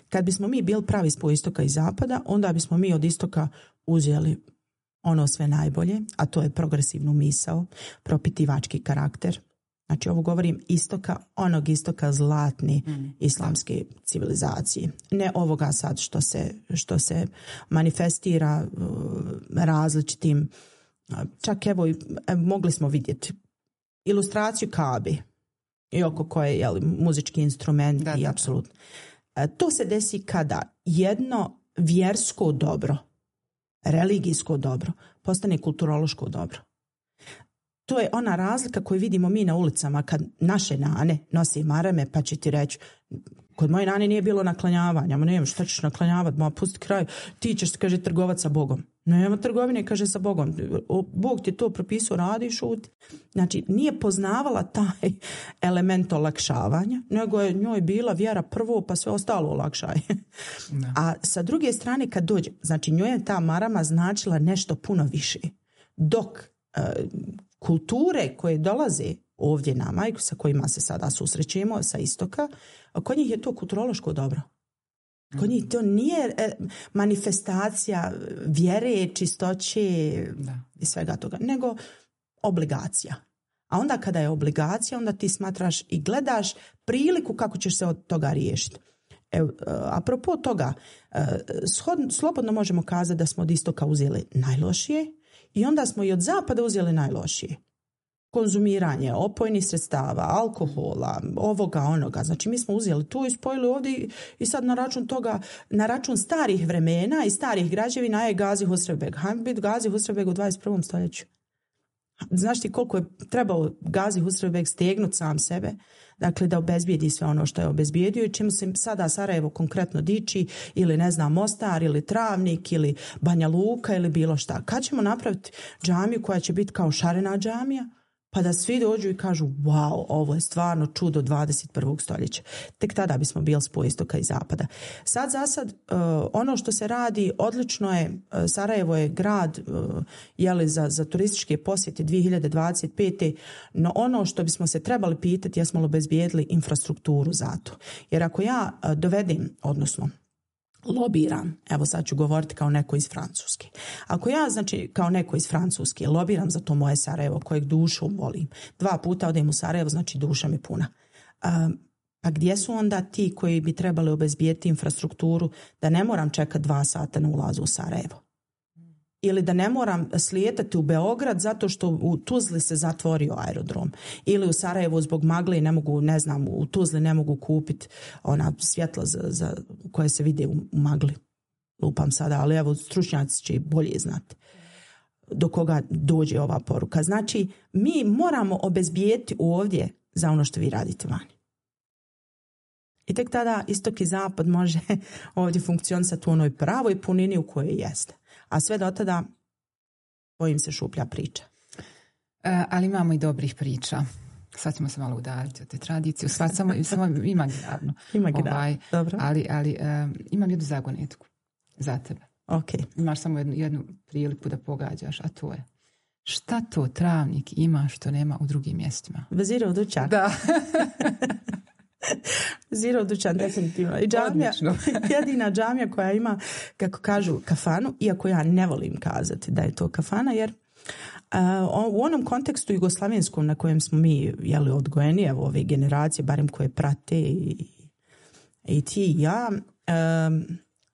Kad bismo mi bili pravi spoj istoka i zapada, onda bismo mi od istoka uzeli ono sve najbolje, a to je progresivnu misao, propitivački karakter. Znači ovo govorim istoka, onog istoka zlatne mm. islamske civilizacije. Ne ovoga sad što se, što se manifestira uh, različitim. Čak evo, mogli smo vidjeti ilustraciju Kabe i oko koje je muzički instrument da, i apsolutno. To se desi kada jedno vjersko dobro, religijsko dobro, postane kulturološko dobro. To je ona razlika koju vidimo mi na ulicama kad naše nane nose marame, pa će ti reći, kod moje nane nije bilo naklanjavanja, ma nema, šta ćeš naklanjavati, ma pusti kraj, ti ćeš, kaže, trgovat sa Bogom. Nema trgovine, kaže, sa Bogom. Bog ti to propisao, radi i šuti. Znači, nije poznavala taj element olakšavanja, nego je njoj bila vjera prvo, pa sve ostalo olakšaj. No. A sa druge strane, kad dođe, znači, njoj je ta marama značila nešto puno više. Dok e, kulture koje dolaze ovdje nama i sa kojima se sada susrećemo sa istoka, kod njih je to kulturološko dobro. Kod njih to nije manifestacija vjere, čistoće da. i svega toga, nego obligacija. A onda kada je obligacija, onda ti smatraš i gledaš priliku kako ćeš se od toga riješiti. Evo, apropo toga, shod, slobodno možemo kazati da smo od istoka uzeli najlošije i onda smo i od zapada uzeli najlošije. konzumiranje opojnih sredstava, alkohola, ovoga, onoga. Znači mi smo uzeli tu i spojili ovdje i sad na račun toga, na račun starih vremena i starih građevina je Gazi Husrevbeg. Hajmo biti Gazi Husrevbeg u dvadeset prvom stoljeću. Znaš ti koliko je trebao Gazi Husrevbeg stegnuti sam sebe, dakle da obezbijedi sve ono što je obezbijedio i čim se sada Sarajevo konkretno diči, ili ne znam Mostar, ili Travnik, ili Banja Luka, ili bilo šta. Kad ćemo napraviti džamiju koja će biti kao šarena džamija, pa da svi dođu i kažu wow, ovo je stvarno čudo dvadeset prvog stoljeća. Tek tada bismo bili spoj istoka i zapada. Sad za sad, uh, ono što se radi, odlično je, uh, Sarajevo je grad uh, jeli za, za turističke posjete dvije hiljade dvadeset pete. No ono što bismo se trebali pitati, jesmo li obezbijedili infrastrukturu za to. Jer ako ja uh, dovedem, odnosno lobiram, evo sad ću govoriti kao neko iz Francuske. Ako ja, znači, kao neko iz Francuske lobiram za to moje Sarajevo, kojeg dušom volim, dva puta odem u Sarajevo, znači duša mi puna. Um, pa gdje su onda ti koji bi trebali obezbijeti infrastrukturu da ne moram čekati dva sata na ulazu u Sarajevo? Ili da ne moram slijetati u Beograd zato što u Tuzli se zatvorio aerodrom. Ili u Sarajevu zbog magle ne mogu, ne znam, u Tuzli ne mogu kupiti ona svjetla za, za, koje se vide u, u magli. Lupam sada, ali evo stručnjaci će bolje znati do koga dođe ova poruka. Znači, mi moramo obezbijeti ovdje za ono što vi radite vani. I tek tada istok i zapad može ovdje funkcionisati u onoj pravoj punini u kojoj jeste. A sve do tada, bojim se, šuplja priča. E, ali imamo i dobrih priča. Sad ćemo se malo udaljiti od te tradicije. Sad samo, samo imaginarno. Imaginarno, ovaj, dobro. Ali, ali um, imam jednu zagonetku za tebe. Okay. Imaš samo jednu, jednu priliku da pogađaš, a to je šta to Travnik ima što nema u drugim mjestima? Vezirov dućan. Da. Vezirov dućan, definitivno. I džamija, jedina džamija koja ima, kako kažu, kafanu, iako ja ne volim kazati da je to kafana, jer uh, u onom kontekstu jugoslavenskom na kojem smo mi jeli, odgojeni, evo ove generacije, barem koje prate i, i ti i ja, um,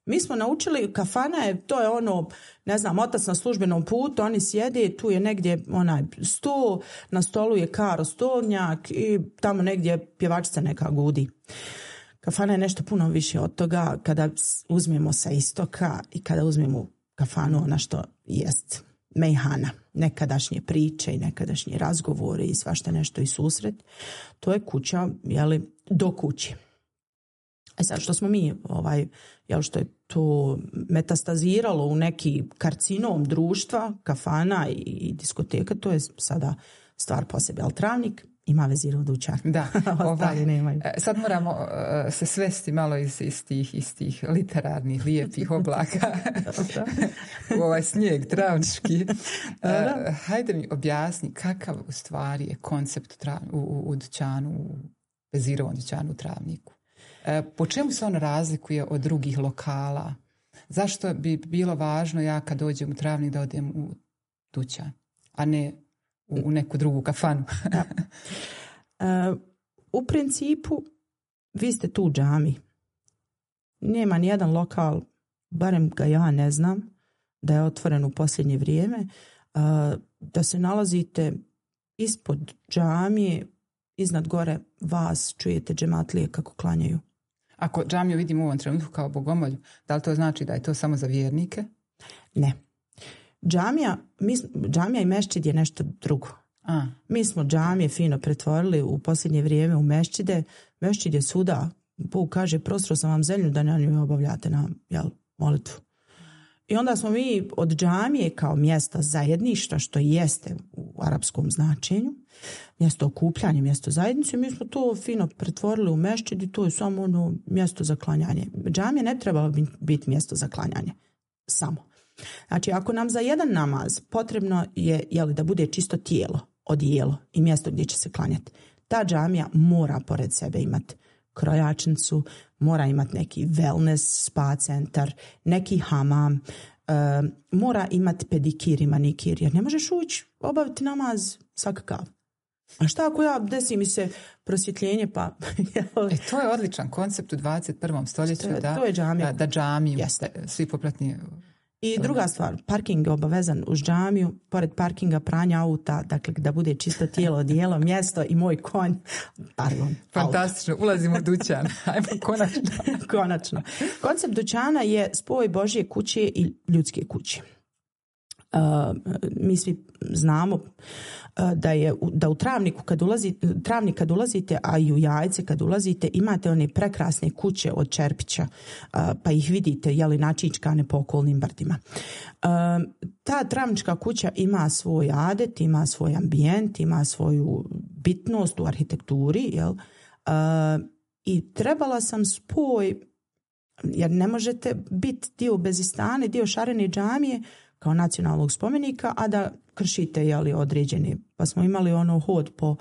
mi smo naučili, kafana je, to je ono, ne znam, otac na službenom putu, oni sjede, tu je negdje onaj sto, na stolu je karo stolnjak i tamo negdje pjevačica neka gudi. Kafana je nešto puno više od toga kada uzmemo sa istoka i kada uzmemo kafanu, ona što jest mejhana, nekadašnje priče i nekadašnje razgovore i svašta nešto i susret, to je kuća, jeli, do kući. E sad što smo mi, ovaj, jel što je to metastaziralo u neki karcinom društva, kafana i diskoteka, to je sada stvar po sebi. Ali Travnik ima Vezirov dućan. Da, ovaj, nemaju. Sad moramo uh, se svesti malo iz, iz, tih, iz tih literarnih, lijepih oblaka u ovaj snijeg travnički. Uh, hajde mi objasni kakav u stvari je koncept trav, u, u, u dućanu, u Vezirovom dućanu u Travniku. Po čemu se on razlikuje od drugih lokala? Zašto bi bilo važno ja kad dođem u Travnik da odem u dućan, a ne u, u neku drugu kafanu? Da. Uh, u principu vi ste tu u džami. Nema nijedan lokal, barem ga ja ne znam, da je otvoren u posljednje vrijeme, uh, da se nalazite ispod džamije, iznad gore vas čujete džematlije kako klanjaju. Ako džamiju vidimo u ovom trenutku kao bogomolju, da li to znači da je to samo za vjernike? Ne. Džamija, mi, džamija i mešćid je nešto drugo. A. Mi smo džamije fino pretvorili u posljednje vrijeme u mešćide. Mešćid je svuda. Bog kaže, prostro sam vam zemlju da na njoj obavljate na jel, molitvu. I onda smo mi od džamije kao mjesta zajedništva, što jeste u arapskom značenju, mjesto okupljanja, mjesto zajednice, mi smo to fino pretvorili u mešćid i to je samo ono mjesto za klanjanje. Džamija ne treba biti mjesto za klanjanje. Samo. Znači, ako nam za jedan namaz potrebno je jeli, da bude čisto tijelo, odijelo i mjesto gdje će se klanjati, ta džamija mora pored sebe imati krojačnicu, mora imati neki wellness spa centar, neki hamam, e, mora imati pedikir i manikir, jer ne možeš ući obaviti namaz svakakav. A šta ako ja desi mi se prosvjetljenje pa... e, to je odličan koncept u dvadeset prvom stoljeću. To je, da, to je džamija. Da, da džamiju, svi popratni I druga stvar, parking je obavezan uz džamiju, pored parkinga pranja auta, dakle da bude čisto tijelo, odijelo, mjesto i moj konj. Pardon. Fantastično, auto. Ulazimo u dućan. Ajmo konačno. Konačno. Koncept dućana je spoj Božje kuće i ljudske kuće. Uh, mi svi znamo uh, da je da u travniku kad ulazite, travnik kad ulazite, a i u Jajce kad ulazite, imate one prekrasne kuće od čerpića, uh, pa ih vidite jeli načičkane po okolnim brdima. Uh, ta travnička kuća ima svoj adet, ima svoj ambijent, ima svoju bitnost u arhitekturi, jel? Uh, i trebala sam spoj, jer ne možete biti dio Bezistane, dio Šarene džamije kao nacionalnog spomenika, a da kršite jeli, određeni. Pa smo imali ono hod po,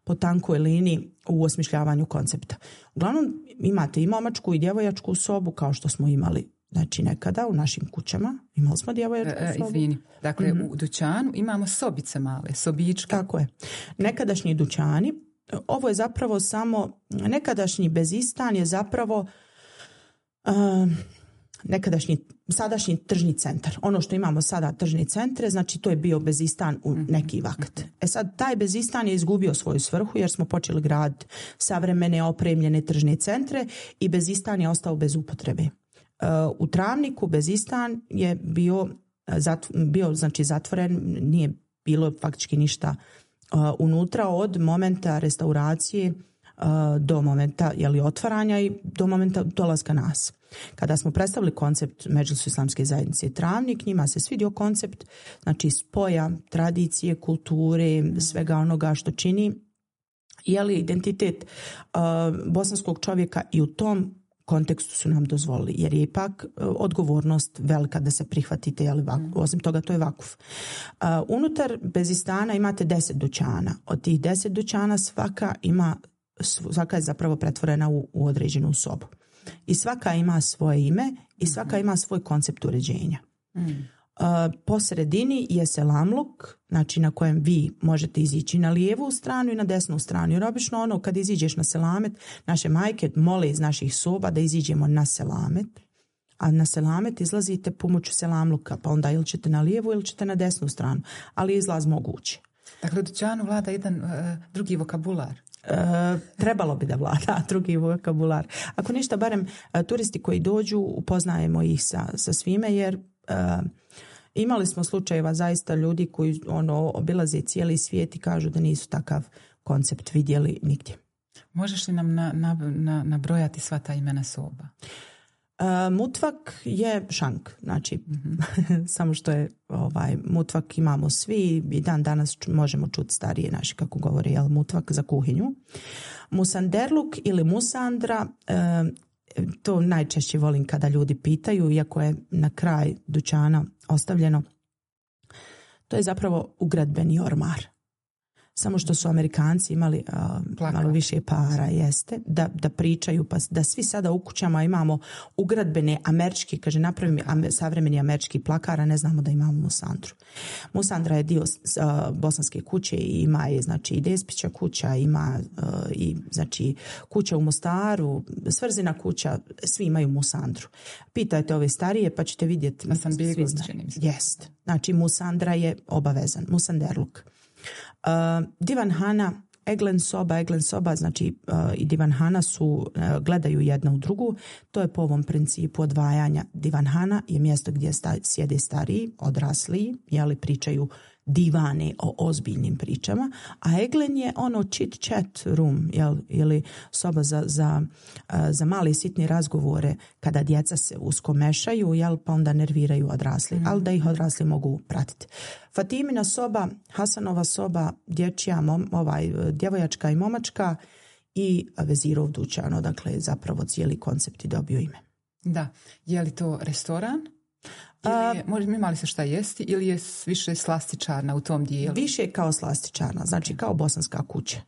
po tankoj liniji u osmišljavanju koncepta. Uglavnom imate i momačku i djevojačku sobu kao što smo imali znači nekada u našim kućama. Imali smo djevojačku e, sobu. Izvini, dakle mm-hmm. u dućanu imamo sobice male, sobičke. Tako je. Nekadašnji dućani, ovo je zapravo samo, nekadašnji Bezistan je zapravo uh, nekadašnji, sadašnji tržni centar. Ono što imamo sada tržni centre, znači to je bio Bezistan u neki vakt. E sad, taj Bezistan je izgubio svoju svrhu jer smo počeli graditi savremene opremljene tržne centre i Bezistan je ostao bez upotrebe. U Travniku Bezistan je bio, bio znači zatvoren, nije bilo faktički ništa unutra od momenta restauracije do momenta jeli, otvaranja i do momenta dolaska nas. Kada smo predstavili koncept Medžlisu islamske zajednice Travnik, njima se svidio koncept znači spoja tradicije, kulture, svega onoga što čini jeli, identitet uh, bosanskog čovjeka i u tom kontekstu su nam dozvolili, jer je ipak uh, odgovornost velika da se prihvatite, jeli, vaku, osim toga to je vakuf. Uh, unutar Bezistana imate deset dućana. Od tih deset dućana svaka ima svaka je zapravo pretvorena u, u određenu sobu. I svaka ima svoje ime i svaka ima svoj koncept uređenja. Mm. Uh, po sredini je selamluk, znači na kojem vi možete izići na lijevu stranu i na desnu stranu. Jer obično ono kad iziđeš na selamet, naše majke mole iz naših soba da iziđemo na selamet, a na selamet izlazite pomoću selamluka, pa onda ili ćete na lijevu ili ćete na desnu stranu, ali izlaz moguće. Dakle, u dućanu vlada jedan uh, drugi vokabular. E, trebalo bi da vlada drugi vokabular. Ako ništa, barem e, turisti koji dođu upoznajemo ih sa, sa svime, jer e, imali smo slučajeva zaista ljudi koji ono obilaze cijeli svijet i kažu da nisu takav koncept vidjeli nigdje. Možeš li nam na, na, na, nabrojati sva ta imena soba? Uh, mutvak je šank, znači mm-hmm. samo što je ovaj, mutvak imamo svi i dan danas možemo čuti starije naši kako govore, jel, mutvak za kuhinju. Musanderluk ili musandra, uh, to najčešće volim kada ljudi pitaju, iako je na kraj dućana ostavljeno, to je zapravo ugradbeni ormar. Samo što su Amerikanci imali uh, malo više para, jeste, da, da pričaju, pa da svi sada u kućama imamo ugradbene američki, kaže napravim amer, savremeni američki plakar, a ne znamo da imamo musandru. Musandra je dio uh, bosanske kuće i ima je, znači, i Despića kuća, ima uh, i, znači, kuća u Mostaru, Svrzina kuća, svi imaju musandru. Pitajte ove starije, pa ćete vidjeti. Da sam bio izčenim. Jest. Znači, musandra je obavezan, musanderluk. Uh, divanhana, eglen soba, eglen soba, znači uh, i divanhana su, uh, gledaju jedna u drugu. To je po ovom principu odvajanja. Divanhana je mjesto gdje sta, sjede stariji, odrasliji, jeli pričaju divane o ozbiljnim pričama, a eglen je ono chit chat room, jel, ili soba za, za, uh, za male sitne razgovore kada djeca se usko mešaju, jel, pa onda nerviraju odrasli, mm. ali da ih odrasli mogu pratiti. Fatimina soba, Hasanova soba, dječja, mom, ovaj, djevojačka i momačka i Vezirov dućan, odakle zapravo cijeli koncept i dobio ime. Da, je li to restoran? Ili je, možda imali se šta jesti ili je više slastičarna u tom dijelu? Više kao slastičarna, znači kao bosanska kuća.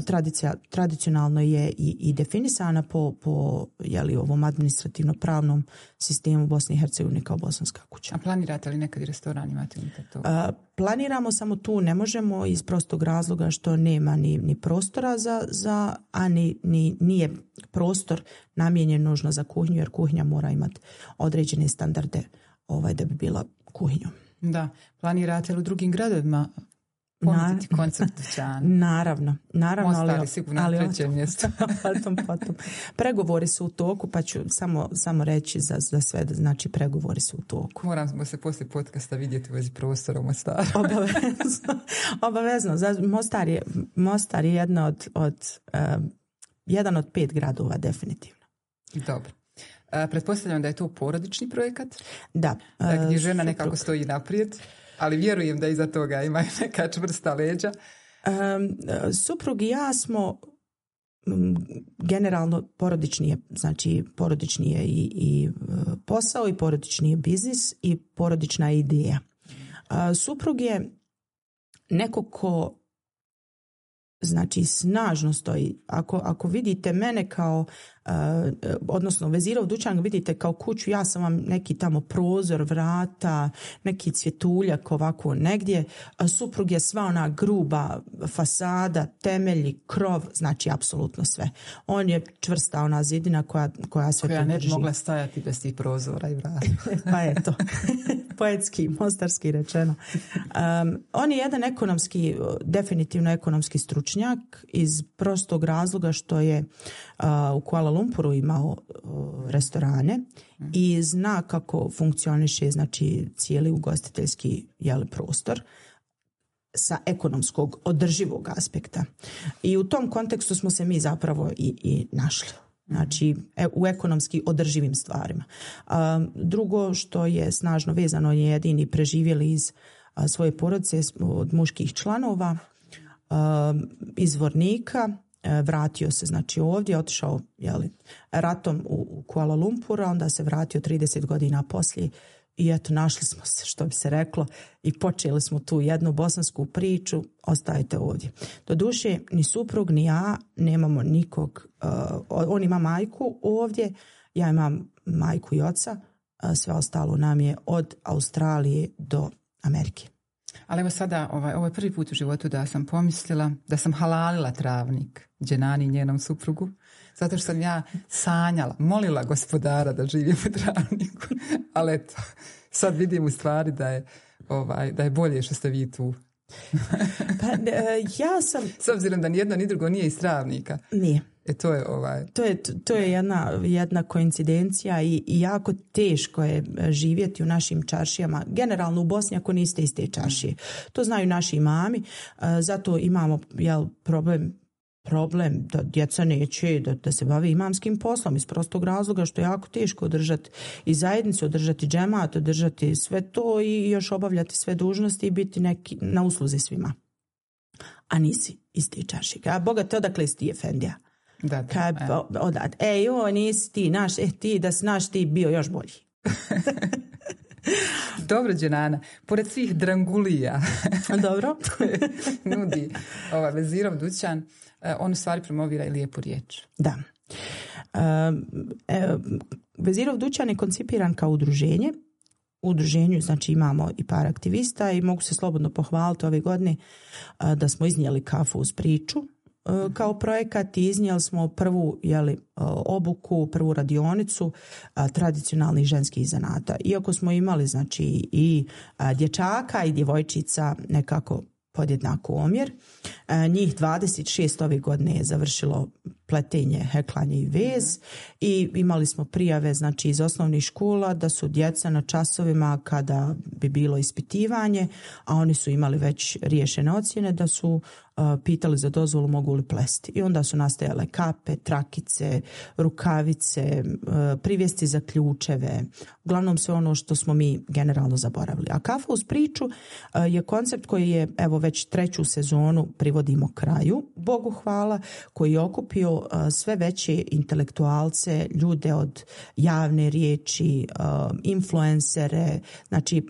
Tradicija, tradicionalno je i, i definisana po, po jeli, ovom administrativno-pravnom sistemu Bosne i Hercegovine kao bosanska kuća. A planirate li nekad i restoran, imate li to? A, planiramo, samo tu ne možemo iz prostog razloga što nema ni, ni prostora za, za a ni, ni, nije prostor namijenjen nužno za kuhinju, jer kuhinja mora imati određene standarde ovaj, da bi bila kuhinju. Da, planirate li u drugim gradovima ponuditi koncept dućana? Naravno, naravno. Mostar ali, je sigurno ali, na trećem mjestu. potom, potom. Pregovori su u toku, pa ću samo, samo reći za, za sve, znači pregovori su u toku. Moramo se poslije podcasta vidjeti u vezi prostora u Mostaru. Obavezno. Obavezno. Mostar je, Mostar je jedna od, od, uh, jedan od pet gradova, definitivno. Dobro. Uh, pretpostavljam da je to porodični projekat? Da. Uh, gdje žena suprug. nekako stoji naprijed, ali vjerujem da iza toga ima neka čvrsta leđa. Um, suprug i ja smo um, generalno porodični je, znači porodični je i, i posao i porodični je biznis i porodična je ideja. Uh, suprug je neko ko znači snažno stoji. Ako, ako vidite mene kao, uh, odnosno Vezirov dućan vidite kao kuću, ja sam vam neki tamo prozor, vrata, neki cvjetuljak ovako negdje, a suprug je sva ona gruba fasada, temelji, krov, znači apsolutno sve. On je čvrsta ona zidina koja, koja sve koja to ne drži. bi mogla stajati bez tih prozora i vrata. Pa eto, poetski, mostarski rečeno. Um, on je jedan ekonomski, definitivno ekonomski stručnjak iz prostog razloga što je uh, u Kuala Lumpuru imao uh, restorane mm. i zna kako funkcioniše znači cijeli ugostiteljski jeli, prostor sa ekonomskog održivog aspekta. I u tom kontekstu smo se mi zapravo i, i našli. Znači u ekonomski održivim stvarima. A, drugo što je snažno vezano, je jedini preživjeli iz a, svoje porodice od muških članova, a, izvornika, a, vratio se znači ovdje, otišao jeli, ratom u, u Kuala Lumpur, onda se vratio trideset godina poslije i eto našli smo se, što bi se reklo, i počeli smo tu jednu bosansku priču, ostajete ovdje. Doduše, ni suprug, ni ja nemamo nikog, uh, on ima majku ovdje, ja imam majku i oca, uh, sve ostalo nam je od Australije do Amerike. Ali evo sada, ovaj, ovo je prvi put u životu da sam pomislila da sam halalila travnik Dženani i njenom suprugu, zato što sam ja sanjala, molila gospodara da živim u travniku, ali eto, sad vidim u stvari da je, ovaj, da je bolje što ste vi tu. Pa, ja sam... S obzirom da ni jedno ni drugo nije iz travnika. Nije. E to je ovaj... To je, to je jedna, jedna koincidencija i, i jako teško je živjeti u našim čaršijama. Generalno u Bosni ako niste iz te čaršije. To znaju naši imami. Zato imamo jel, problem problem da djeca neće da, da se bave imamskim poslom iz prostog razloga što je jako teško održati i zajednicu, održati džemat, održati sve to i još obavljati sve dužnosti i biti neki na usluzi svima. A nisi iz te čaršije. A Boga te odakle si ti efendija? Da, da. Kad, odat, e joj, nisi ti naš, eh ti da si naš ti bio još bolji. Dobro, Dženana, pored svih drangulija dobro koje nudi ova Vezirov dućan, on u stvari promovira i lijepu riječ. Da. E, Vezirov dućan je koncipiran kao udruženje. U udruženju znači imamo i par aktivista i mogu se slobodno pohvaliti ove godine da smo iznijeli kafu uz priču kao projekat i iznijeli smo prvu jeli, obuku, prvu radionicu a, tradicionalnih ženskih zanata. Iako smo imali znači i a, dječaka i djevojčica nekako podjednako omjer. A, njih dvadeset šest ove godine je završilo pletenje, heklanje i vez i imali smo prijave znači iz osnovnih škola da su djeca na časovima kada bi bilo ispitivanje, a oni su imali već riješene ocjene da su uh, pitali za dozvolu mogu li plesti. I onda su nastajale kape, trakice, rukavice, uh, privjesti za ključeve, uglavnom sve ono što smo mi generalno zaboravili. A kafa uz priču uh, je koncept koji je evo već treću sezonu privodimo kraju, Bogu hvala, koji je okupio sve veće intelektualce, ljude od javne riječi, influencere. Znači,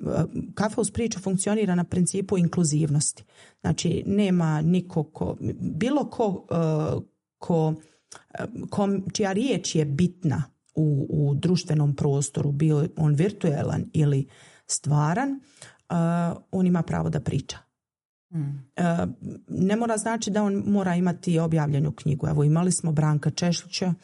kafa uz priču funkcionira na principu inkluzivnosti. Znači, nema niko ko, bilo ko, ko, ko čija riječ je bitna u, u društvenom prostoru, bio on virtualan ili stvaran, on ima pravo da priča. Hmm. Ne mora znači da on mora imati objavljenu knjigu. Evo imali smo Branka Češlića,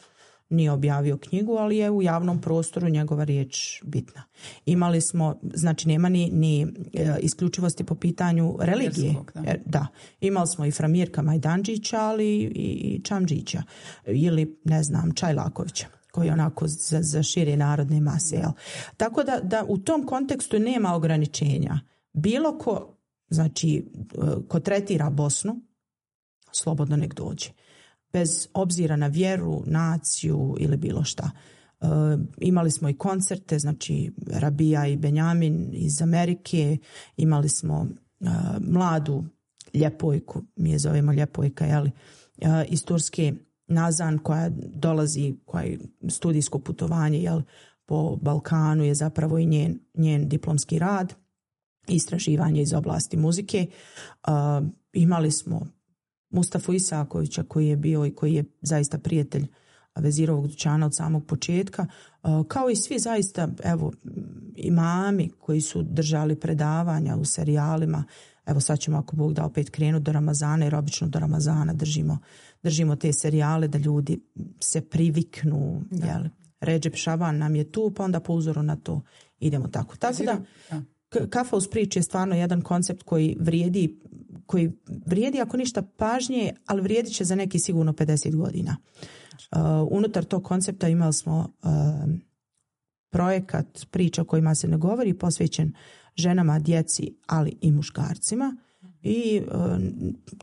nije objavio knjigu, ali je u javnom prostoru njegova riječ bitna. Imali smo, znači nema ni, ni e, isključivosti po pitanju religije. Vjerskog, da. E, da. Imali smo i Framirka Majdanđića, ali i, i Čamđića ili ne znam Čajlakovića, koji je onako za, za šire narodne mase. Jel? Tako da, da u tom kontekstu nema ograničenja. Bilo ko, znači, ko tretira Bosnu, slobodno nek dođe. Bez obzira na vjeru, naciju ili bilo šta. E, imali smo i koncerte, znači Rabija i Benjamin iz Amerike, imali smo e, mladu ljepojku, mi je zovemo ljepojka, jeli, e, iz Turske, Nazan, koja dolazi, koja je studijsko putovanje, jel, po Balkanu je zapravo i njen, njen diplomski rad, istraživanje iz oblasti muzike. E, imali smo Mustafu Isakovića koji je bio i koji je zaista prijatelj Vezirovog dućana od samog početka, kao i svi zaista, evo, imami koji su držali predavanja u serijalima. Evo sad ćemo, ako Bog da, opet krenuti do Ramazana, jer obično do Ramazana držimo, držimo te serijale da ljudi se priviknu. Jel? Redžep Šaban nam je tu, pa onda po uzoru na to idemo tako. Tako da, Kafa uz priči je stvarno jedan koncept koji vrijedi koji vrijedi ako ništa pažnje, ali vrijedit će za neki sigurno pedeset godina. Uh, unutar tog koncepta imali smo uh, projekat priča o kojima se ne govori, posvećen ženama, djeci, ali i muškarcima. I uh,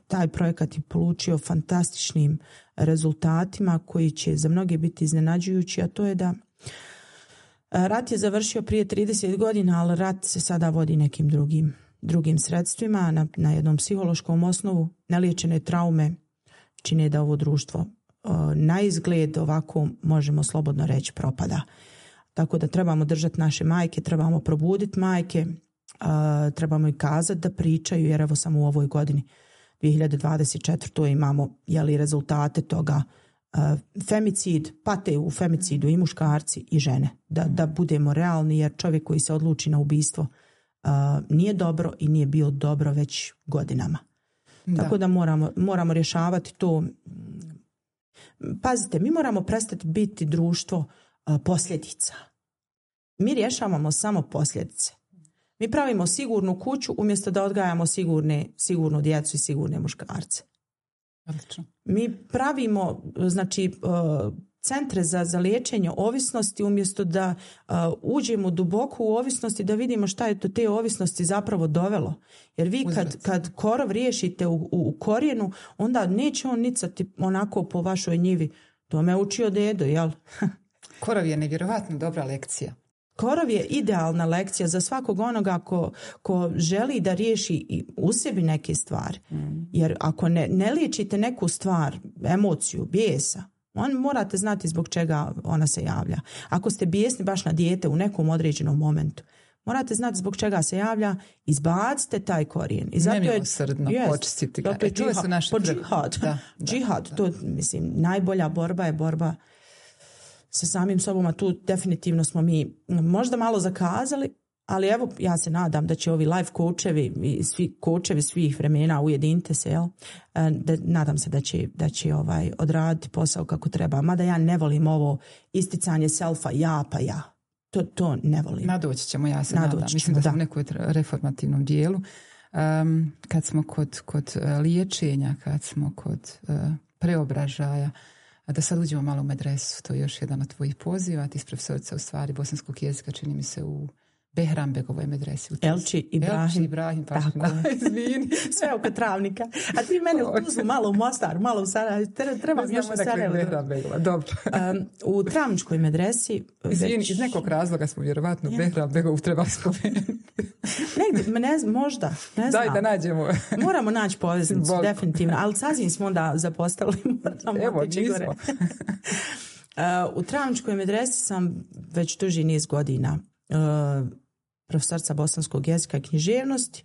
taj projekat je polučio fantastičnim rezultatima koji će za mnoge biti iznenađujući, a to je da rat je završio prije trideset godina, ali rat se sada vodi nekim drugim drugim sredstvima, na, na jednom psihološkom osnovu. Neliječene traume čine da ovo društvo uh, na izgled ovako, možemo slobodno reći, propada. Tako da trebamo držati naše majke, trebamo probuditi majke, uh, trebamo i kazati da pričaju, jer evo samo u ovoj godini dvije hiljade dvadeset četvrtoj imamo, jeli, rezultate toga. Uh, femicid, pate u femicidu i muškarci i žene. Da, da budemo realni, jer čovjek koji se odluči na ubistvo Uh, nije dobro i nije bio dobro već godinama. Da. Tako da moramo, moramo rješavati to. Pazite, mi moramo prestati biti društvo uh, posljedica. Mi rješavamo samo posljedice. Mi pravimo sigurnu kuću umjesto da odgajamo sigurne, sigurnu djecu i sigurne muškarce. Odlično. Mi pravimo, znači, uh, centre za, za liječenje ovisnosti umjesto da uh, uđemo duboko u ovisnosti, da vidimo šta je to te ovisnosti zapravo dovelo. Jer vi kad, kad korov riješite u, u, u korijenu, onda neće on nicati onako po vašoj njivi. To me učio dedo, jel? Korov je nevjerovatno dobra lekcija. Korov je idealna lekcija za svakog onoga ko, ko želi da riješi i u sebi neke stvari. Mm. Jer ako ne, ne liječite neku stvar, emociju, bijesa, on morate znati zbog čega ona se javlja. Ako ste bijesni baš na dijete u nekom određenom momentu, morate znati zbog čega se javlja, izbacite taj korijen. I zato je nemilosrdno počistiti ga. E, to su naši džihad. Da, da, džihad, da. To, mislim, najbolja borba je borba sa samim sobom, a tu definitivno smo mi možda malo zakazali, ali evo, ja se nadam da će ovi life coachevi i svi coachevi svih vremena, ujedinite se, jel? Da, nadam se da će, da će ovaj, odraditi posao kako treba. Mada ja ne volim ovo isticanje selfa, ja pa ja. To, to ne volim. Nadoći ćemo, ja se Nadoći nadam. ćemo, Mislim da, da smo u da. nekoj reformativnom dijelu. Um, kad smo kod, kod liječenja, kad smo kod uh, preobražaja, da sad uđemo malo u medresu, to je još jedan od tvojih poziva, ti si profesorica u stvari bosanskog jezika, čini mi se u Behrambegovoj medresi. Elči Ibrahim. Elči Ibrahim, pa izvini. Sve oko Travnika. A ti mene u Tuzlu, malo u Mostar, malo u Sarajevo. Trebam još u Sarajevo. Behrambegova, dobro. Um, u Travničkoj medresi... Izvini, već... iz nekog razloga smo vjerovatno ja. Behrambegovu trebali spomenuti. Negdje, ne znam, možda. Ne znam. Daj da nađemo. Moramo naći poveznicu, Volko. Definitivno. Ali sasvim smo onda zapostavili. Evo, nismo. uh, u Travničkoj medresi sam već duži niz godina uh, profesorica bosanskog jezika i književnosti.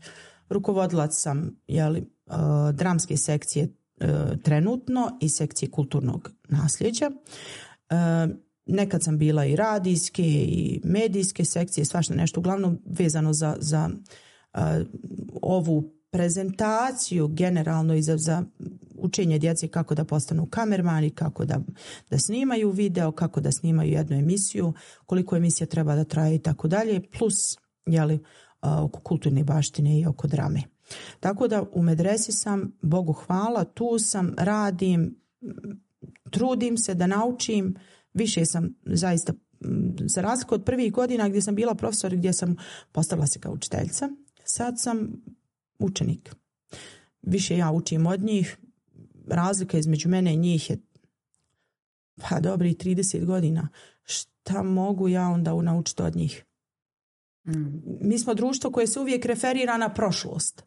Rukovodilac sam, jeli, uh, dramske sekcije uh, trenutno i sekcije kulturnog nasljeđa. Uh, nekad sam bila i radijske i medijske sekcije, svašta nešto, uglavnom vezano za, za uh, ovu prezentaciju generalno i za, za učenje djece kako da postanu kamermani, kako da, da snimaju video, kako da snimaju jednu emisiju, koliko emisija treba da traje i tako dalje, plus jeli, oko kulturne baštine i oko drame. Tako da u medresi sam, Bogu hvala, tu sam, radim, trudim se da naučim, više sam zaista, za razliku od prvih godina gdje sam bila profesor, gdje sam postavila se kao učiteljica, sad sam učenik. Više ja učim od njih, razlika između mene i njih je pa dobri trideset godina. Šta mogu ja onda naučiti od njih? Mm. Mi smo društvo koje se uvijek referira na prošlost,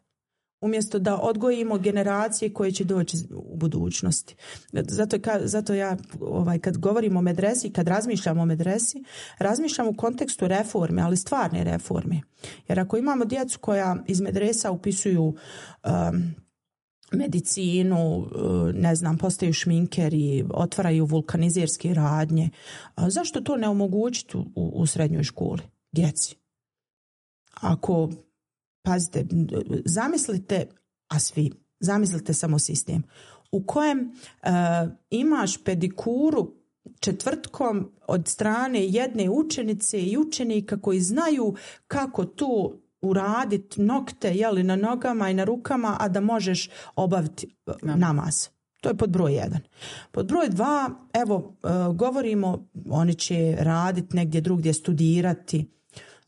umjesto da odgojimo generacije koje će doći u budućnosti. Zato, zato ja ovaj, kad govorim o medresi, kad razmišljam o medresi, razmišljam u kontekstu reforme, ali stvarne reforme. Jer ako imamo djecu koja iz medresa upisuju um, medicinu, ne znam, postaju šminkeri, otvaraju vulkanizerske radnje, zašto to ne omogućiti u, u srednjoj školi djeci? Ako, pazite, zamislite, a svi, zamislite samo sistem u kojem uh, imaš pedikuru četvrtkom od strane jedne učenice i učenika koji znaju kako tu uraditi nokte jeli, na nogama i na rukama, a da možeš obaviti namaz. To je pod broj jedan. Pod broj dva, evo, uh, govorimo, oni će raditi negdje drugdje, studirati.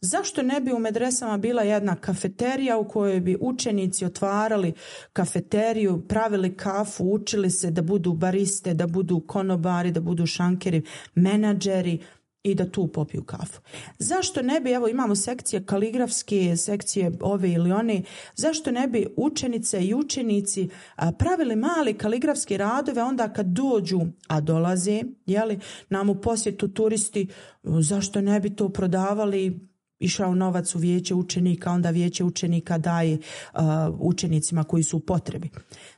Zašto ne bi u medresama bila jedna kafeterija u kojoj bi učenici otvarali kafeteriju, pravili kafu, učili se da budu bariste, da budu konobari, da budu šankeri, menadžeri i da tu popiju kafu? Zašto ne bi, evo imamo sekcije kaligrafske, sekcije ove ili one, zašto ne bi učenice i učenici pravili mali kaligrafske radove onda kad dođu, a dolaze, jeli, nam u posjetu turisti, zašto ne bi to prodavali? Išao novac u vijeće učenika, onda vijeće učenika daje uh, učenicima koji su u potrebi.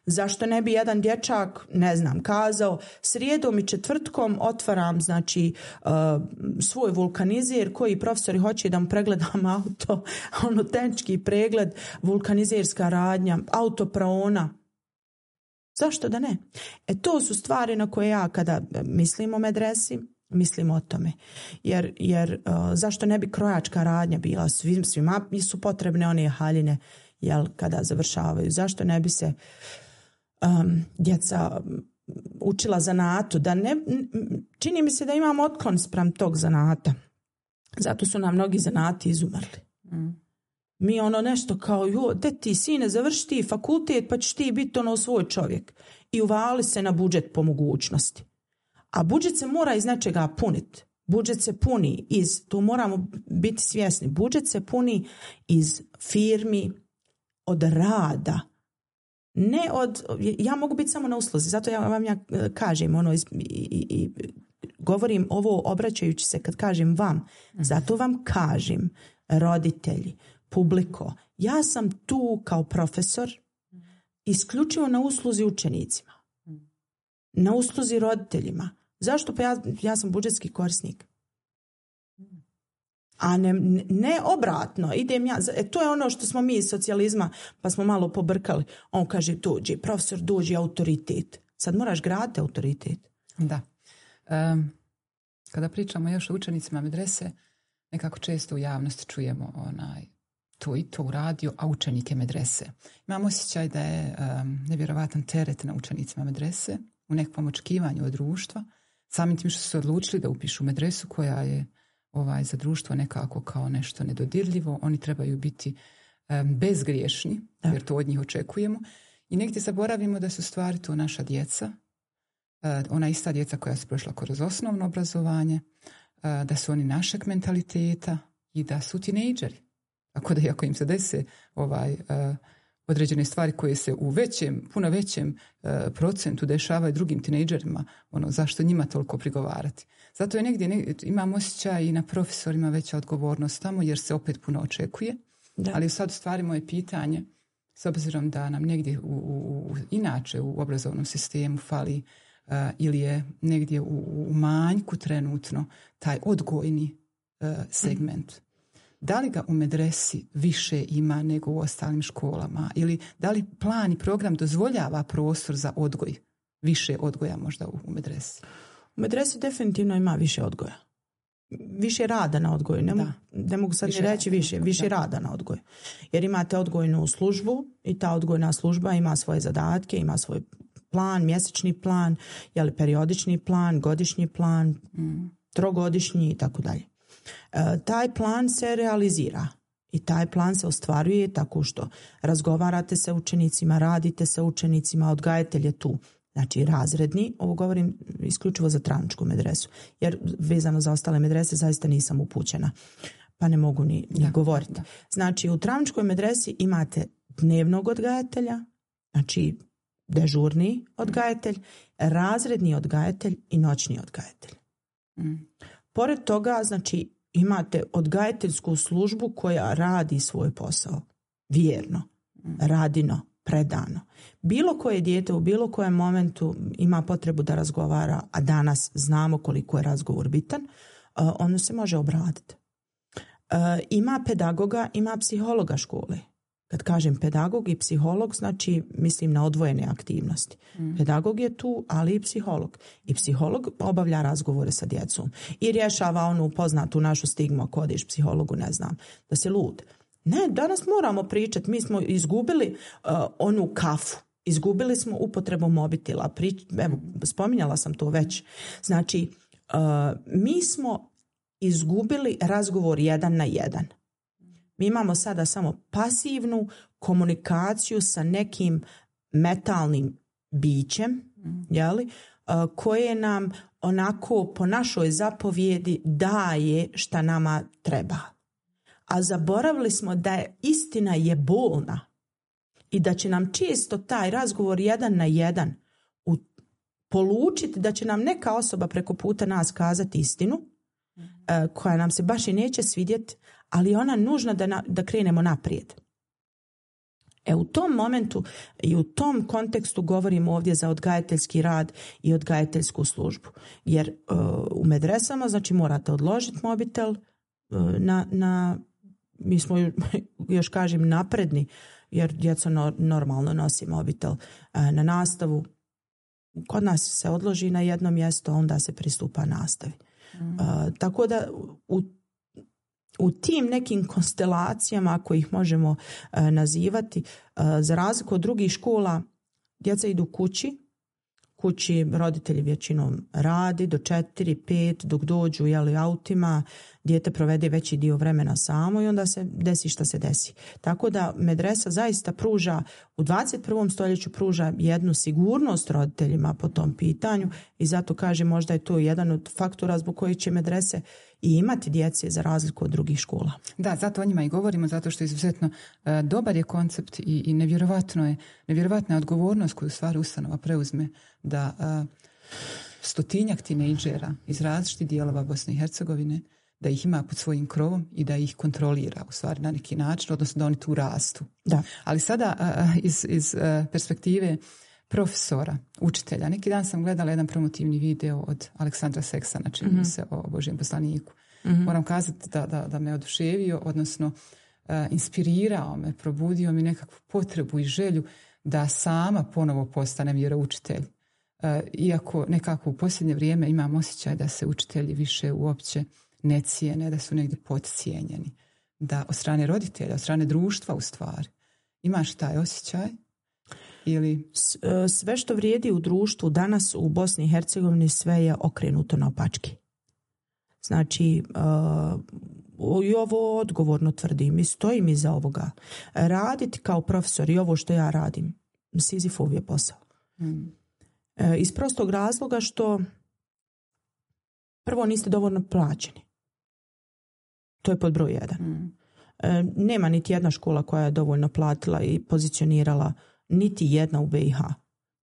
Zašto ne bi jedan dječak, ne znam, kazao srijedom i četvrtkom otvaram znači uh, svoj vulkanizer koji profesori hoće da mu pregledam auto, ono tehnički pregled, vulkanizerska radnja, autopraona. Zašto da ne? E to su stvari na koje ja kada mislim o medresi, mislim o tome. Jer, jer uh, zašto ne bi krojačka radnja bila? Svim, svima su potrebne one haljine jel, kada završavaju. Zašto ne bi se um, djeca učila zanatu? Da ne, čini mi se da imamo otklon spram tog zanata. Zato su nam mnogi zanati izumrli. Mm. Mi ono nešto kao, jo, de ti sine, završi ti fakultet pa ćeš ti biti ono svoj čovjek. I uvali se na budžet po mogućnosti. A budžet se mora iz nečega puniti. Budžet se puni iz, tu moramo biti svjesni, budžet se puni iz firmi, od rada. Ne od, ja mogu biti samo na usluzi, zato ja vam ja kažem, ono, i, i, i govorim ovo obraćajući se kad kažem vam, zato vam kažem, roditelji, publiko, ja sam tu kao profesor isključivo na usluzi učenicima, na usluzi roditeljima. Zašto? Pa ja, ja sam budžetski korisnik. A ne, ne obratno. Idem ja, e, to je ono što smo mi iz socijalizma pa smo malo pobrkali. On kaže dođi, profesor dođi, autoritet. Sad moraš graditi autoritet. Da. Um, kada pričamo još o učenicima medrese, nekako često u javnosti čujemo onaj to i to uradio, a učenike medrese. Imam osjećaj da je um, nevjerovatan teret na učenicima medrese u nekom očekivanju od društva, samim tim što su se odlučili da upišu medresu koja je ovaj, za društvo nekako kao nešto nedodirljivo. Oni trebaju biti um, bezgriješni, da. Jer to od njih očekujemo. I negdje zaboravimo da su stvari to naša djeca, uh, ona ista djeca koja su prošla kroz osnovno obrazovanje, uh, da su oni našeg mentaliteta i da su tinejdžeri. Tako da ako im se dese ovaj, uh, određene stvari koje se u većem, puno većem uh, procentu dešavaju drugim tinejdžerima, ono, zašto njima toliko prigovarati? Zato je negdje, negdje imam osjećaj i na profesorima veća odgovornost tamo jer se opet puno očekuje. Da. Ali sad u stvari moje pitanje, s obzirom da nam negdje u, u, u, inače u obrazovnom sistemu fali uh, ili je negdje u, u manjku trenutno taj odgojni uh, segment. Mm. da li ga u medresi više ima nego u ostalim školama ili da li plan i program dozvoljava prostor za odgoj, više odgoja možda u, u medresi? U medresi definitivno ima više odgoja. Više rada na odgoju. Ne, mogu, ne mogu sad više ni reći više. Više da. rada na odgoju. Jer imate odgojnu službu i ta odgojna služba ima svoje zadatke, ima svoj plan, mjesečni plan, jeli periodični plan, godišnji plan, mm. trogodišnji i tako dalje. E, taj plan se realizira i taj plan se ostvaruje tako što razgovarate sa učenicima, radite sa učenicima, odgajatelj je tu. Znači razredni, ovo govorim isključivo za Travničku medresu, jer vezano za ostale medrese zaista nisam upućena, pa ne mogu ni, ni da, govoriti. Da. Znači u Travničkoj medresi imate dnevnog odgajatelja, znači dežurni odgajatelj, razredni odgajatelj i noćni odgajatelj. Mm. Pored toga, znači imate odgajateljsku službu koja radi svoj posao vjerno, mm. radino, predano. Bilo koje dijete u bilo kojem momentu ima potrebu da razgovara, a danas znamo koliko je razgovor bitan, ono se može obraditi. Ima pedagoga, ima psihologa škole. Kad kažem pedagog i psiholog, znači mislim na odvojene aktivnosti. Mm. Pedagog je tu, ali i psiholog. I psiholog obavlja razgovore sa djecom. I rješava onu poznatu našu stigmu, ako odeš psihologu, ne znam, da si lud. Ne, danas moramo pričati. Mi smo izgubili uh, onu kafu. Izgubili smo upotrebu mobitela. Prič, evo, spominjala sam to već. Znači, uh, mi smo izgubili razgovor jedan na jedan. Mi imamo sada samo pasivnu komunikaciju sa nekim metalnim bićem, jeli, koje nam onako po našoj zapovjedi daje šta nama treba. A zaboravili smo da je istina je bolna i da će nam često taj razgovor jedan na jedan u, polučiti da će nam neka osoba preko puta nas kazati istinu, mm. koja nam se baš i neće svidjeti, ali ona nužna da, na, da krenemo naprijed. E u tom momentu i u tom kontekstu govorimo ovdje za odgajateljski rad i odgajateljsku službu. Jer uh, u medresama znači morate odložiti mobitel uh, na, na, mi smo još kažem napredni, jer djeca no, normalno nosi mobitel uh, na nastavu. Kod nas se odloži na jedno mjesto, onda se pristupa nastavi. Mm. Uh, tako da u U tim nekim konstelacijama, ako ih možemo uh, nazivati, uh, za razliku od drugih škola, djeca idu kući, kući roditelji većinom radi do četiri, pet, dok dođu jeli, autima, dijete provede veći dio vremena samo i onda se desi šta se desi. Tako da medresa zaista pruža, u dvadeset prvom stoljeću pruža jednu sigurnost roditeljima po tom pitanju i zato kažem možda je to jedan od faktora zbog kojih će medrese i imati djece za razliku od drugih škola. Da, zato o njima i govorimo, zato što je izuzetno uh, dobar je koncept i, i nevjerovatno je, nevjerovatna je odgovornost koju stvari ustanova preuzme da uh, stotinjak tinejdžera iz različitih dijelova Bosne i Hercegovine, da ih ima pod svojim krovom i da ih kontrolira u stvari na neki način, odnosno da oni tu rastu. Da. Ali sada uh, iz, iz uh, perspektive profesora, učitelja. Neki dan sam gledala jedan promotivni video od Aleksandra Seksana, čini mi mm-hmm. se o Božjem poslaniku. Mm-hmm. Moram kazati da, da, da me oduševio, odnosno uh, inspirirao me, probudio mi nekakvu potrebu i želju da sama ponovo postanem vjeroučitelj. Uh, iako nekako u posljednje vrijeme imam osjećaj da se učitelji više uopće ne cijene, da su negdje podcijenjeni. Da od strane roditelja, od strane društva u stvari. Imaš taj osjećaj? Ili... Sve što vrijedi u društvu danas u Bosni i Hercegovini sve je okrenuto naopačke. Znači, uh, i ovo odgovorno tvrdim i stojim iza ovoga. Raditi kao profesor i ovo što ja radim, Sizifov je posao. Hmm. E, iz prostog razloga što prvo niste dovoljno plaćeni. To je pod broj jedan. Hmm. E, nema niti jedna škola koja je dovoljno platila i pozicionirala, niti jedna u B i H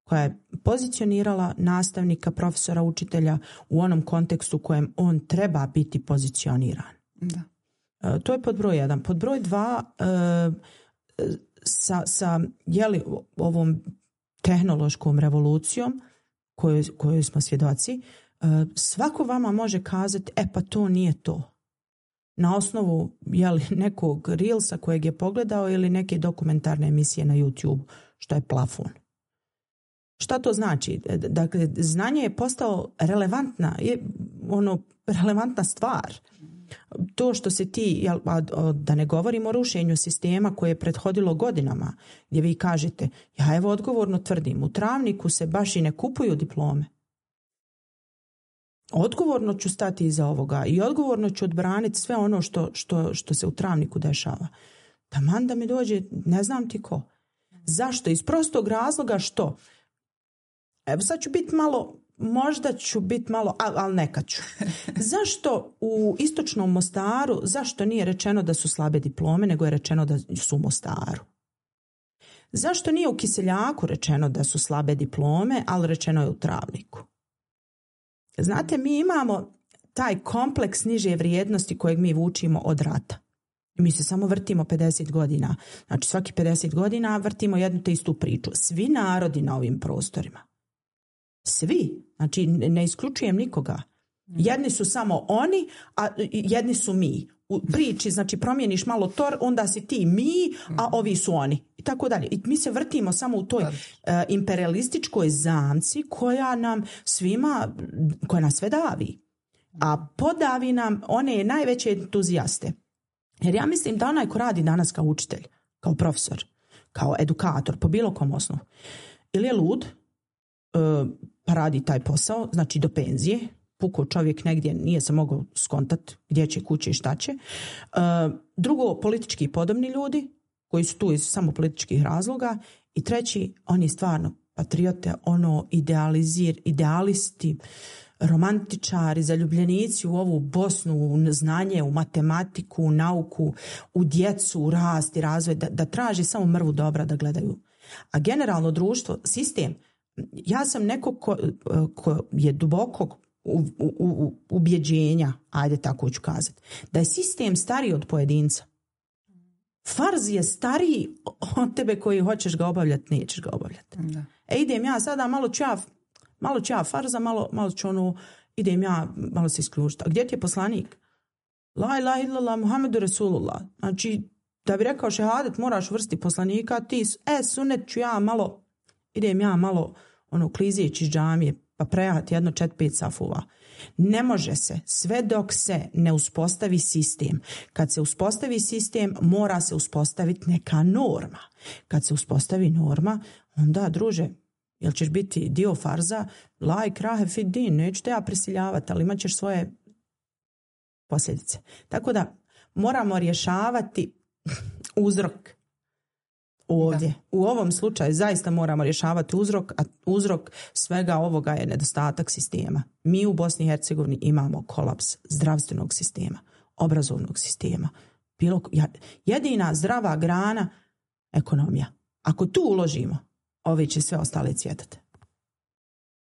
koja je pozicionirala nastavnika, profesora, učitelja u onom kontekstu u kojem on treba biti pozicioniran. Da. E, to je pod broj jedan. Pod broj dva, e, sa, sa jeli, ovom tehnološkom revolucijom kojoj, kojoj smo svjedoci, e, svako vama može kazati, e pa to nije to. na osnovu jeli, nekog Reelsa kojeg je pogledao ili neke dokumentarne emisije na YouTube, što je plafon. Šta to znači? Dakle, znanje je postao relevantna, je ono, relevantna stvar. To što se ti, jel, da ne govorimo o rušenju sistema koje je prethodilo godinama, gdje vi kažete, ja evo odgovorno tvrdim, u Travniku se baš i ne kupuju diplome. Odgovorno ću stati iza ovoga i odgovorno ću odbraniti sve ono što, što, što se u Travniku dešava. Taman da mi dođe, ne znam ti ko. Zašto? Iz prostog razloga što? Evo sad ću biti malo, možda ću biti malo, ali, ali neka ću. Zašto u istočnom Mostaru, zašto nije rečeno da su slabe diplome, nego je rečeno da su u Mostaru? Zašto nije u Kiseljaku rečeno da su slabe diplome, ali rečeno je u Travniku? Znate, mi imamo taj kompleks niže vrijednosti kojeg mi vučimo od rata. Mi se samo vrtimo pedeset godina. Znači svaki pedeset godina vrtimo jednu te istu priču. Svi narodi na ovim prostorima. Svi. Znači ne isključujem nikoga. Jedni su samo oni, a jedni su mi. U priči, znači promijeniš malo tor, onda si ti mi, a ovi su oni. I tako dalje. I mi se vrtimo samo u toj uh, imperialističkoj zamci koja nam svima, koja nas sve davi. A podavi nam one najveće entuzijaste. Jer ja mislim da onaj ko radi danas kao učitelj, kao profesor, kao edukator, po bilo kom osnovu, ili je lud, uh, pa radi taj posao, znači do penzije, puko čovjek negdje nije se mogao skontat gdje će, kuće i šta će. Uh, drugo, politički podobni ljudi koji su tu iz samo političkih razloga. I treći, oni stvarno patriote, ono idealizir, idealisti, romantičari, zaljubljenici u ovu Bosnu, u znanje, u matematiku, u nauku, u djecu, u rast i razvoj, da, da traži samo mrvu dobra da gledaju. A generalno društvo, sistem, ja sam neko ko, ko je dubokog U, u, u, ubjeđenja, ajde tako ću kazati, da je sistem stariji od pojedinca. Farz je stariji od tebe koji hoćeš ga obavljati, nećeš ga obavljati. Da. E idem ja sada, malo ću ja, malo ću ja farza, malo, malo ću ono, idem ja, malo se isključiti. A gdje ti je poslanik? La ilaha illallah Muhammedu Rasulullah. Znači, da bi rekao šehadet, moraš vrsti poslanika, ti, e, sunet ću ja malo, idem ja malo, ono, klizeći iz džamije, pa prejati jedno čet pet safova. Ne može se sve dok se ne uspostavi sistem. Kad se uspostavi sistem, mora se uspostaviti neka norma. Kad se uspostavi norma, onda, druže, jel ćeš biti dio farza? La ikrahe fid din, neću te ja prisiljavati, ali imat ćeš svoje posljedice. Tako da moramo rješavati uzrok. Ovdje. Da. U ovom slučaju zaista moramo rješavati uzrok, a uzrok svega ovoga je nedostatak sistema. Mi u Bosni i Hercegovini imamo kolaps zdravstvenog sistema, obrazovnog sistema. Bilo, jedina zdrava grana ekonomija. Ako tu uložimo, ove će sve ostale cvjetati.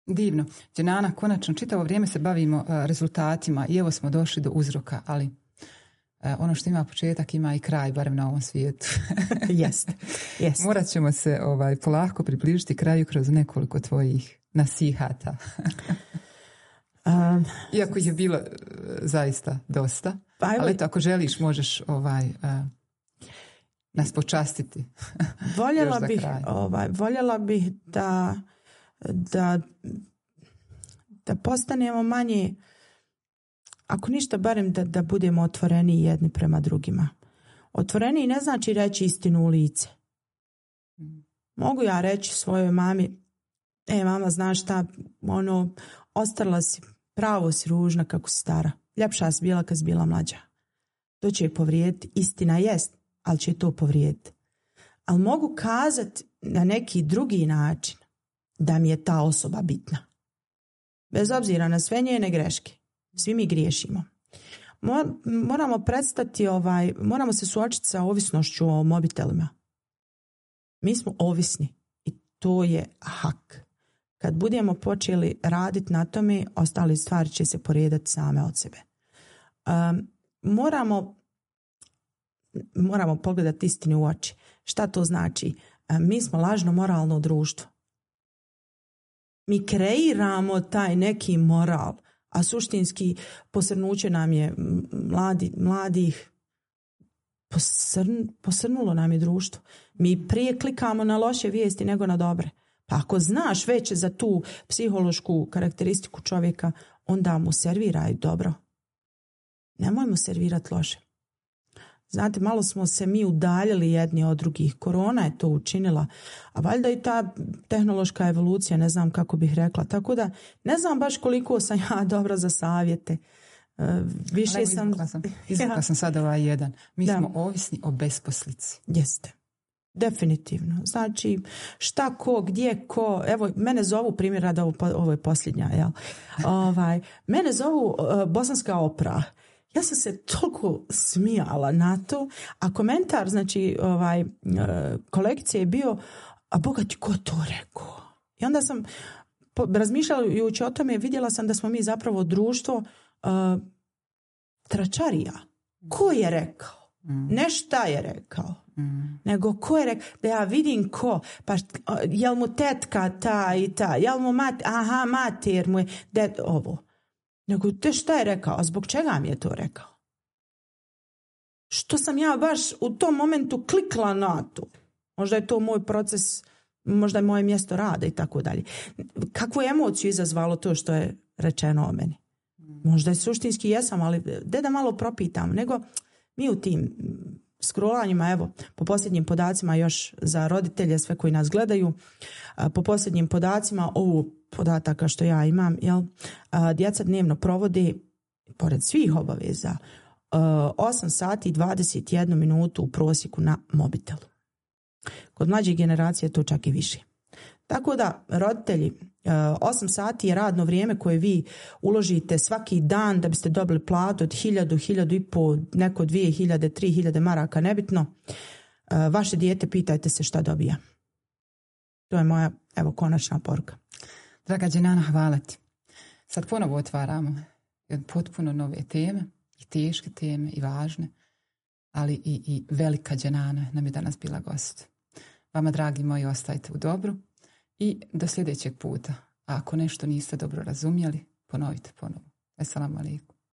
Divno. Dženana, konačno čitavo vrijeme se bavimo uh, rezultatima i evo smo došli do uzroka, ali ono što ima početak ima i kraj, barem na ovom svijetu. Jest, jest. Morat ćemo se ovaj, polako približiti kraju kroz nekoliko tvojih nasihata. um, Iako ih je bilo uh, zaista dosta. Pa evo, ali eto, ako želiš možeš ovaj, uh, nas počastiti. Voljela bih, ovaj, voljela bih da, da, da postanemo manje, ako ništa, barem da, da budemo otvoreni jedni prema drugima. Otvoreni ne znači reći istinu u lice. Mogu ja reći svojoj mami, e mama, znaš šta, ono, ostarila si, pravo si ružna kako si stara. Ljepša si bila kad si bila mlađa. To će je povrijediti. Istina jest, ali će to povrijediti. Ali mogu kazati na neki drugi način da mi je ta osoba bitna. Bez obzira na sve njene greške. Svi mi griješimo. Moramo prestati, ovaj, moramo se suočiti sa ovisnošću o mobitelima. Mi smo ovisni i to je hak. Kad budemo počeli raditi na tome, ostale stvari će se poredati same od sebe. Um, moramo, moramo pogledati istini u oči. Šta to znači? Um, mi smo lažno moralno društvo. Mi kreiramo taj neki moral, A suštinski posrnuće nam je mladi, mladih, posrn, posrnulo nam je društvo. Mi prije klikamo na loše vijesti nego na dobre. Pa ako znaš već za tu psihološku karakteristiku čovjeka, onda mu serviraj dobro. Nemojmo servirati loše. Znate, malo smo se mi udaljili jedni od drugih. Korona je to učinila, a valjda i ta tehnološka evolucija, ne znam kako bih rekla. Tako da, ne znam baš koliko sam ja dobra za savjete. Uh, više Ali, sam... Izvukla sam, izvukla ja. sam sad ovaj jedan. Mi da. smo ovisni o besposlici. Jeste. Definitivno. Znači, šta ko, gdje ko, evo, mene zovu, primjer rada, ovo, ovo je posljednja, jel? ovaj, mene zovu uh, bosanska opera. Ja sam se toliko smijala na to, a komentar, znači, ovaj, uh, kolekcije je bio, a Boga ti ko to rekao? I onda sam, po, razmišljajući o tome, vidjela sam da smo mi zapravo društvo uh, tračarija. Ko je rekao? Mm. Ne šta je rekao. Mm. Nego ko je rekao, da ja vidim ko, pa jel mu tetka ta i ta, jel mu mat, aha, mater mu je, det, ovo. Nego te šta je rekao, a zbog čega mi je to rekao? Što sam ja baš u tom momentu klikla na to? Možda je to moj proces, možda je moje mjesto rada i tako dalje. Kakvu emociju izazvalo to što je rečeno o meni? Možda je suštinski jesam, ali de da malo propitam, nego mi u tim scrollanjima, evo, po posljednjim podacima još za roditelje, sve koji nas gledaju, po posljednjim podacima, ovu podataka što ja imam, jel, djeca dnevno provode, pored svih obaveza, osam sati i dvadeset jednu minutu u prosjeku na mobitelu. Kod mlađe generacije je to čak i više. Tako da, roditelji, osam sati je radno vrijeme koje vi uložite svaki dan da biste dobili platu od hiljadu, hiljadu i po, neko dvije hiljade, tri hiljade maraka, nebitno. Vaše dijete, pitajte se šta dobija. To je moja, evo, konačna poruka. Draga Dženana, hvala ti. Sad ponovo otvaramo potpuno nove teme, i teške teme, i važne, ali i, i velika Dženana nam je danas bila gost. Vama, dragi moji, ostajte u dobru i do sljedećeg puta. A ako nešto niste dobro razumjeli, ponovite ponovo. Assalamu alaikum.